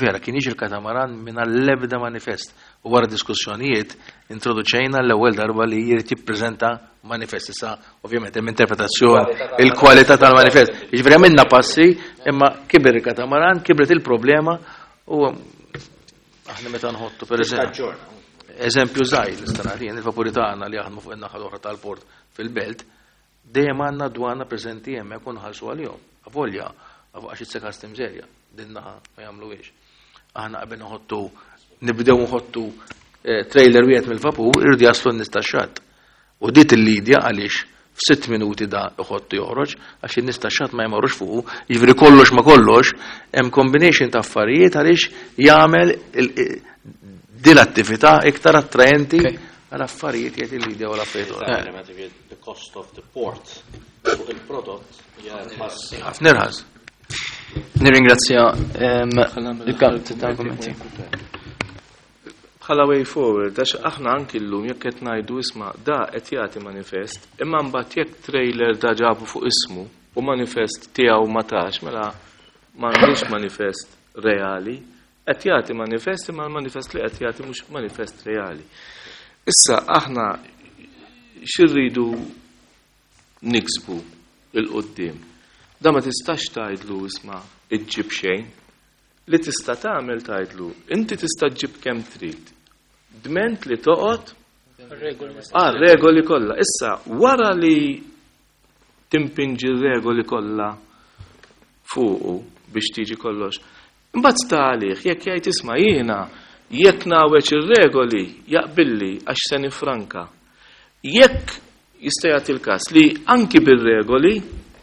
vera kien jiġi l-katamaran minn l-ebda manifest. U wara diskussjonijiet introduċejna l-ewwel darba li jrid jippreżenta manifest. Issa ovvjament hemm interpretazzjoni, il-kwalità tal-manifest. Jiġifieri għamilna passi, imma kiber il-katamaran, kibret il-problema u aħna meta nħottu per eżempju. Eżempju żgħir nista' nagħti jien il-vapuri tagħna li jaħdmu fuq in-naħa l-oħra tal-port fil-belt, dejjem għandna dwana preżenti hemmhekk u nħallsu għalihom. Avolja, għax it's a customs area, din naħa ma jagħmluhiex. Aħna qabel nibdew nħottu trailer wieħed mill-vapur, irridu jaslu n-nies tax-xatt. U dit il-lidja għaliex f'sitt minuti da iħottu joħroġ, għax in-nies tax-xatt ma jmorrux fuqu, jiġifieri kollox ma kollox, hemm combination ta' affarijiet għaliex jagħmel din l-attività iktar attraenti għal affarijiet jgħid il-lidja u l-affarijiet oħra. The cost of the port fuq il-prodott hija irħas. Ħafna irħas. Nirringrazzja il-kap tal-kummenti. Bħala way forward, għax aħna anki llum jekk qed ngħidu isma' da qed jagħti manifest, imma mbagħad jekk trailer da ġabu fuq ismu u manifest tiegħu ma tax, mela m'għandux manifest reali, qed jagħti manifest imma l-manifest li qed jagħti mhux manifest reali. Issa aħna x'irridu niksbu il-qudiem. Da ma tistax tgħidlu isma' iġġib xejn. Li tista' tagħmel tgħidlu, inti tista' ġġib kemm trid. Dment li toqgħod għal regoli kollha. Issa wara li timpinġi r-regoli kollha fuqu biex tiġi kollox. Imbagħad sta għalih jekk jgħid isma' jiena jekk nawieġ ir-regoli jaqbilli għax se nifranka. Jekk jista' jagħti l-każ li anki bir-regoli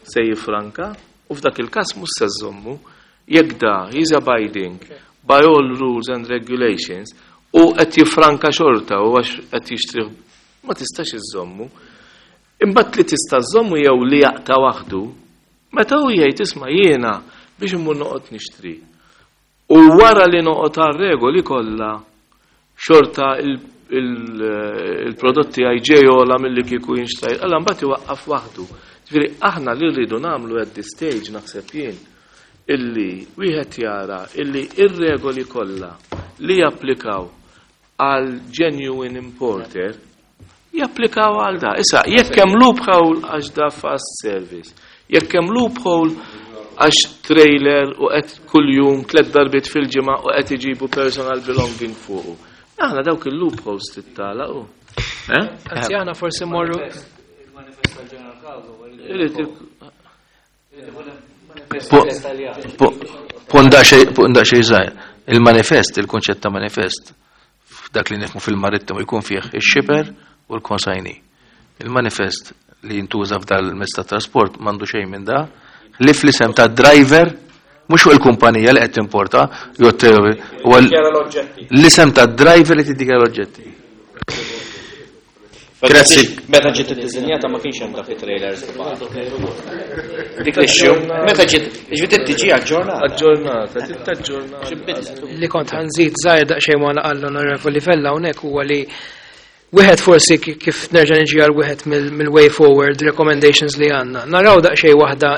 se jifranka u f'dak il-każ mhux se żommu, jekk da he's abiding by all rules and regulations u qed jifranka xorta u għax qed jixtri ma tistax iżommu. Imbagħad li tista' żommu jew li jaqta' waħdu, meta hu jgħid isma' jiena biex immur noqgħod nixtri. U wara li noqgħod għar-regoli kollha Xorta il-prodott tiegħi ġej ogħla milli kieku jinxtraj. Alla mbagħad iwaqqaf waħdu. Ġifieri aħna li rridu nagħmlu at this stage naħseb jien illi wieħed jara illi ir-regoli kollha li japplikaw għal genuine importer japplikaw għal da. Issa, jekk hemm loophole għax da fast service, jekk hemm loophole għax trailer u qed kuljum tliet darbiet fil-ġimgħa u qed iġibu personal belonging fuqu. Aħna dawk il-loopholes tittalaqu. Eh? Anzi aħna forsi morru Punda xej żgħir. Il-manifest, il-kunċett ta' manifest, f'dak li nifhmu fil-marittimu jkun fih ix-shipper u l-consignee. Il-manifest li jintuża f'dal mezz ta' trasport m'għandu xejn minn da, li fl-isem ta' driver mhux fuq il-kumpanija li qed timporta, jew huwa l-isem ta' driver li tiddikjara l-oġġetti. Grazzi. Meta ġiet iddiżinjata ma kienx hemm dak it-trailers kbar. Dik l-issue. Meta ġiet, ġiet tiġi aġġornata. Aġġornata, tittaġġornata. Li kont ħa nżid żgħir daqsxejn ma għall-onorevoli Vella hawnhekk huwa li wieħed forsi kif nerġa' niġi għal wieħed mill-way forward recommendations li għandna. Naraw daqsxejn waħda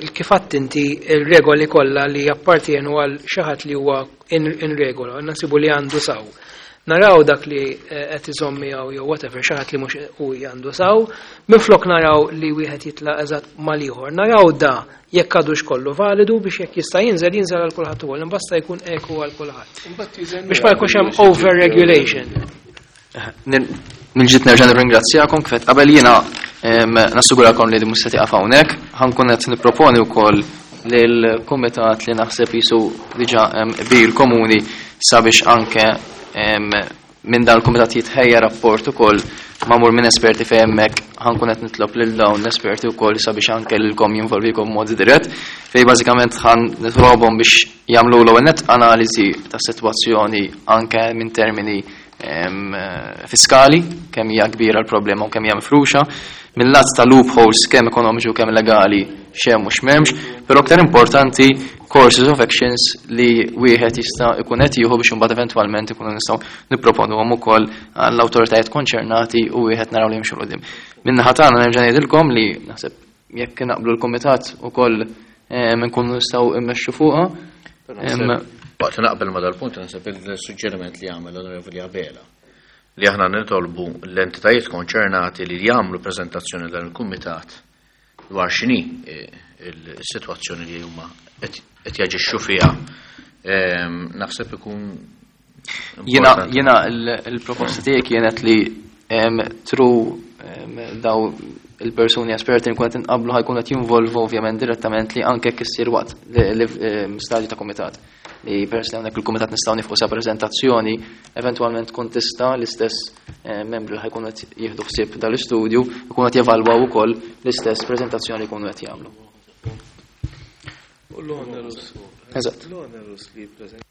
kif għadt inti il-regoli kollha li jappartienu għal xi ħadd li huwa in regola, nasibu li għandu saw. Naraw dak li qed iżomm miegħu jew whatever xi ħadd li mhux u għandu saw, minflok naraw li wieħed jitlaq eżatt mal-ieħor. Naraw da jekk għadux kollu validu biex jekk jista' jinżel jinżel għal kulħadd ukoll, imbasta jkun eku għal kulħadd. Biex ma jkunx hemm over regulation. Mill-ġdid nerġa' nirringrazzjakom kif qabel jiena nassigurakom li mhux se tieqaf hawnhekk, ħa nkun qed nipproponi wkoll lill-kumitat li naħseb jisu diġà qbil komuni sabiex anke minn dan il-kumitat jitħejja rapport ukoll magħmul minn esperti fejn hemmhekk ħa nkun qed nitlob lil dawn l-esperti wkoll sabiex anke lilkom jinvolvikom mod dirett fejn bażikament ħa nitlobhom biex jagħmlu l-ewwel net analiżi tas-sitwazzjoni anke minn termini fiskali, kemm hija kbira l-problema u kemm hija mifruxa, mill-lat ta' loopholes kemm ekonomiċi u kemm legali x'hemm u x'm'hemmx, però aktar importanti courses of actions li wieħed jista' jkun qed jieħu biex imbagħad eventwalment ikunu nistgħu nipproponuhom ukoll għall-awtoritajiet konċernati u wieħed naraw li jimxu quddiem. Min-naħa tagħna nerġa' ngħidilkom li naħseb jekk naqblu l-kumitat ukoll nkunu nistgħu immexxu fuqha. Waqt naqbel ma dal-punt naħseb il-suġġeriment li għamel l-Onorevoli Abela li aħna nitolbu l-entitajiet konċernati li jagħmlu preżentazzjoni dan il-kumitat dwar x'inhi il-sitwazzjoni li huma qed jaġixxu fiha. Naħseb ikun Jiena il-proposta tiegħi kienet li through daw il-persuni esperti nkun qed inqablu ħa jkun qed jinvolvu ovvjament direttament li anke jekk issir waqt stadju ta' kumitat. Li peress li hawnhekk il-kumitat nistgħu nifqu sa preżentazzjoni, eventwalment tkun tista' l-istess membri li ħa jkunu qed jieħdu ħsieb dal-istudju jkunu qed jevalwaw ukoll l-istess preżentazzjoni li jkunu qed jagħmlu. U l-onerus. Eżatt. L-onerus li preżent.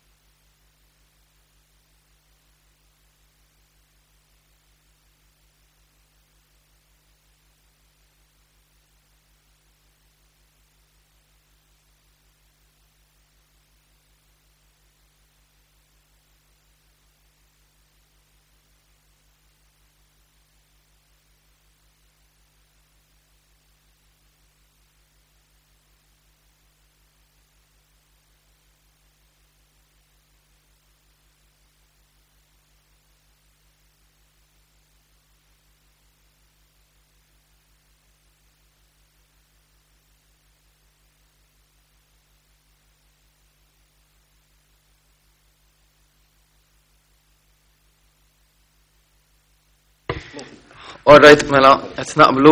All right, mela, qed naqblu,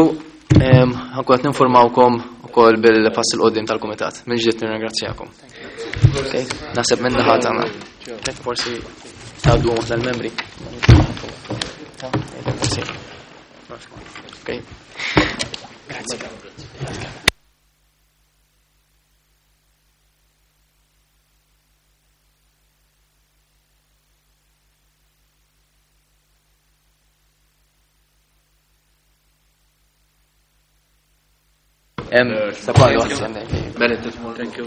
ħa nkun qed ninformawkom ukoll bil-pass 'il quddiem tal-kumitat. Mill-ġdid nirringrazzjakom. Okay, naħseb minn naħa tagħna. Qed forsi tgħaddu waħda l-membri. Okay. Grazie. Sa quando Thank you.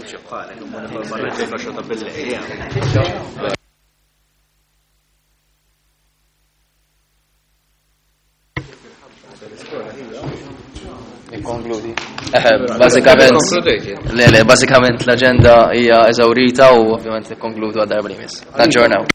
Bażikament, le, le, bażikament l-aġenda hija eżawrita u ovvjament nikkonkludu għad-darba li jmiss. Naġġornaw.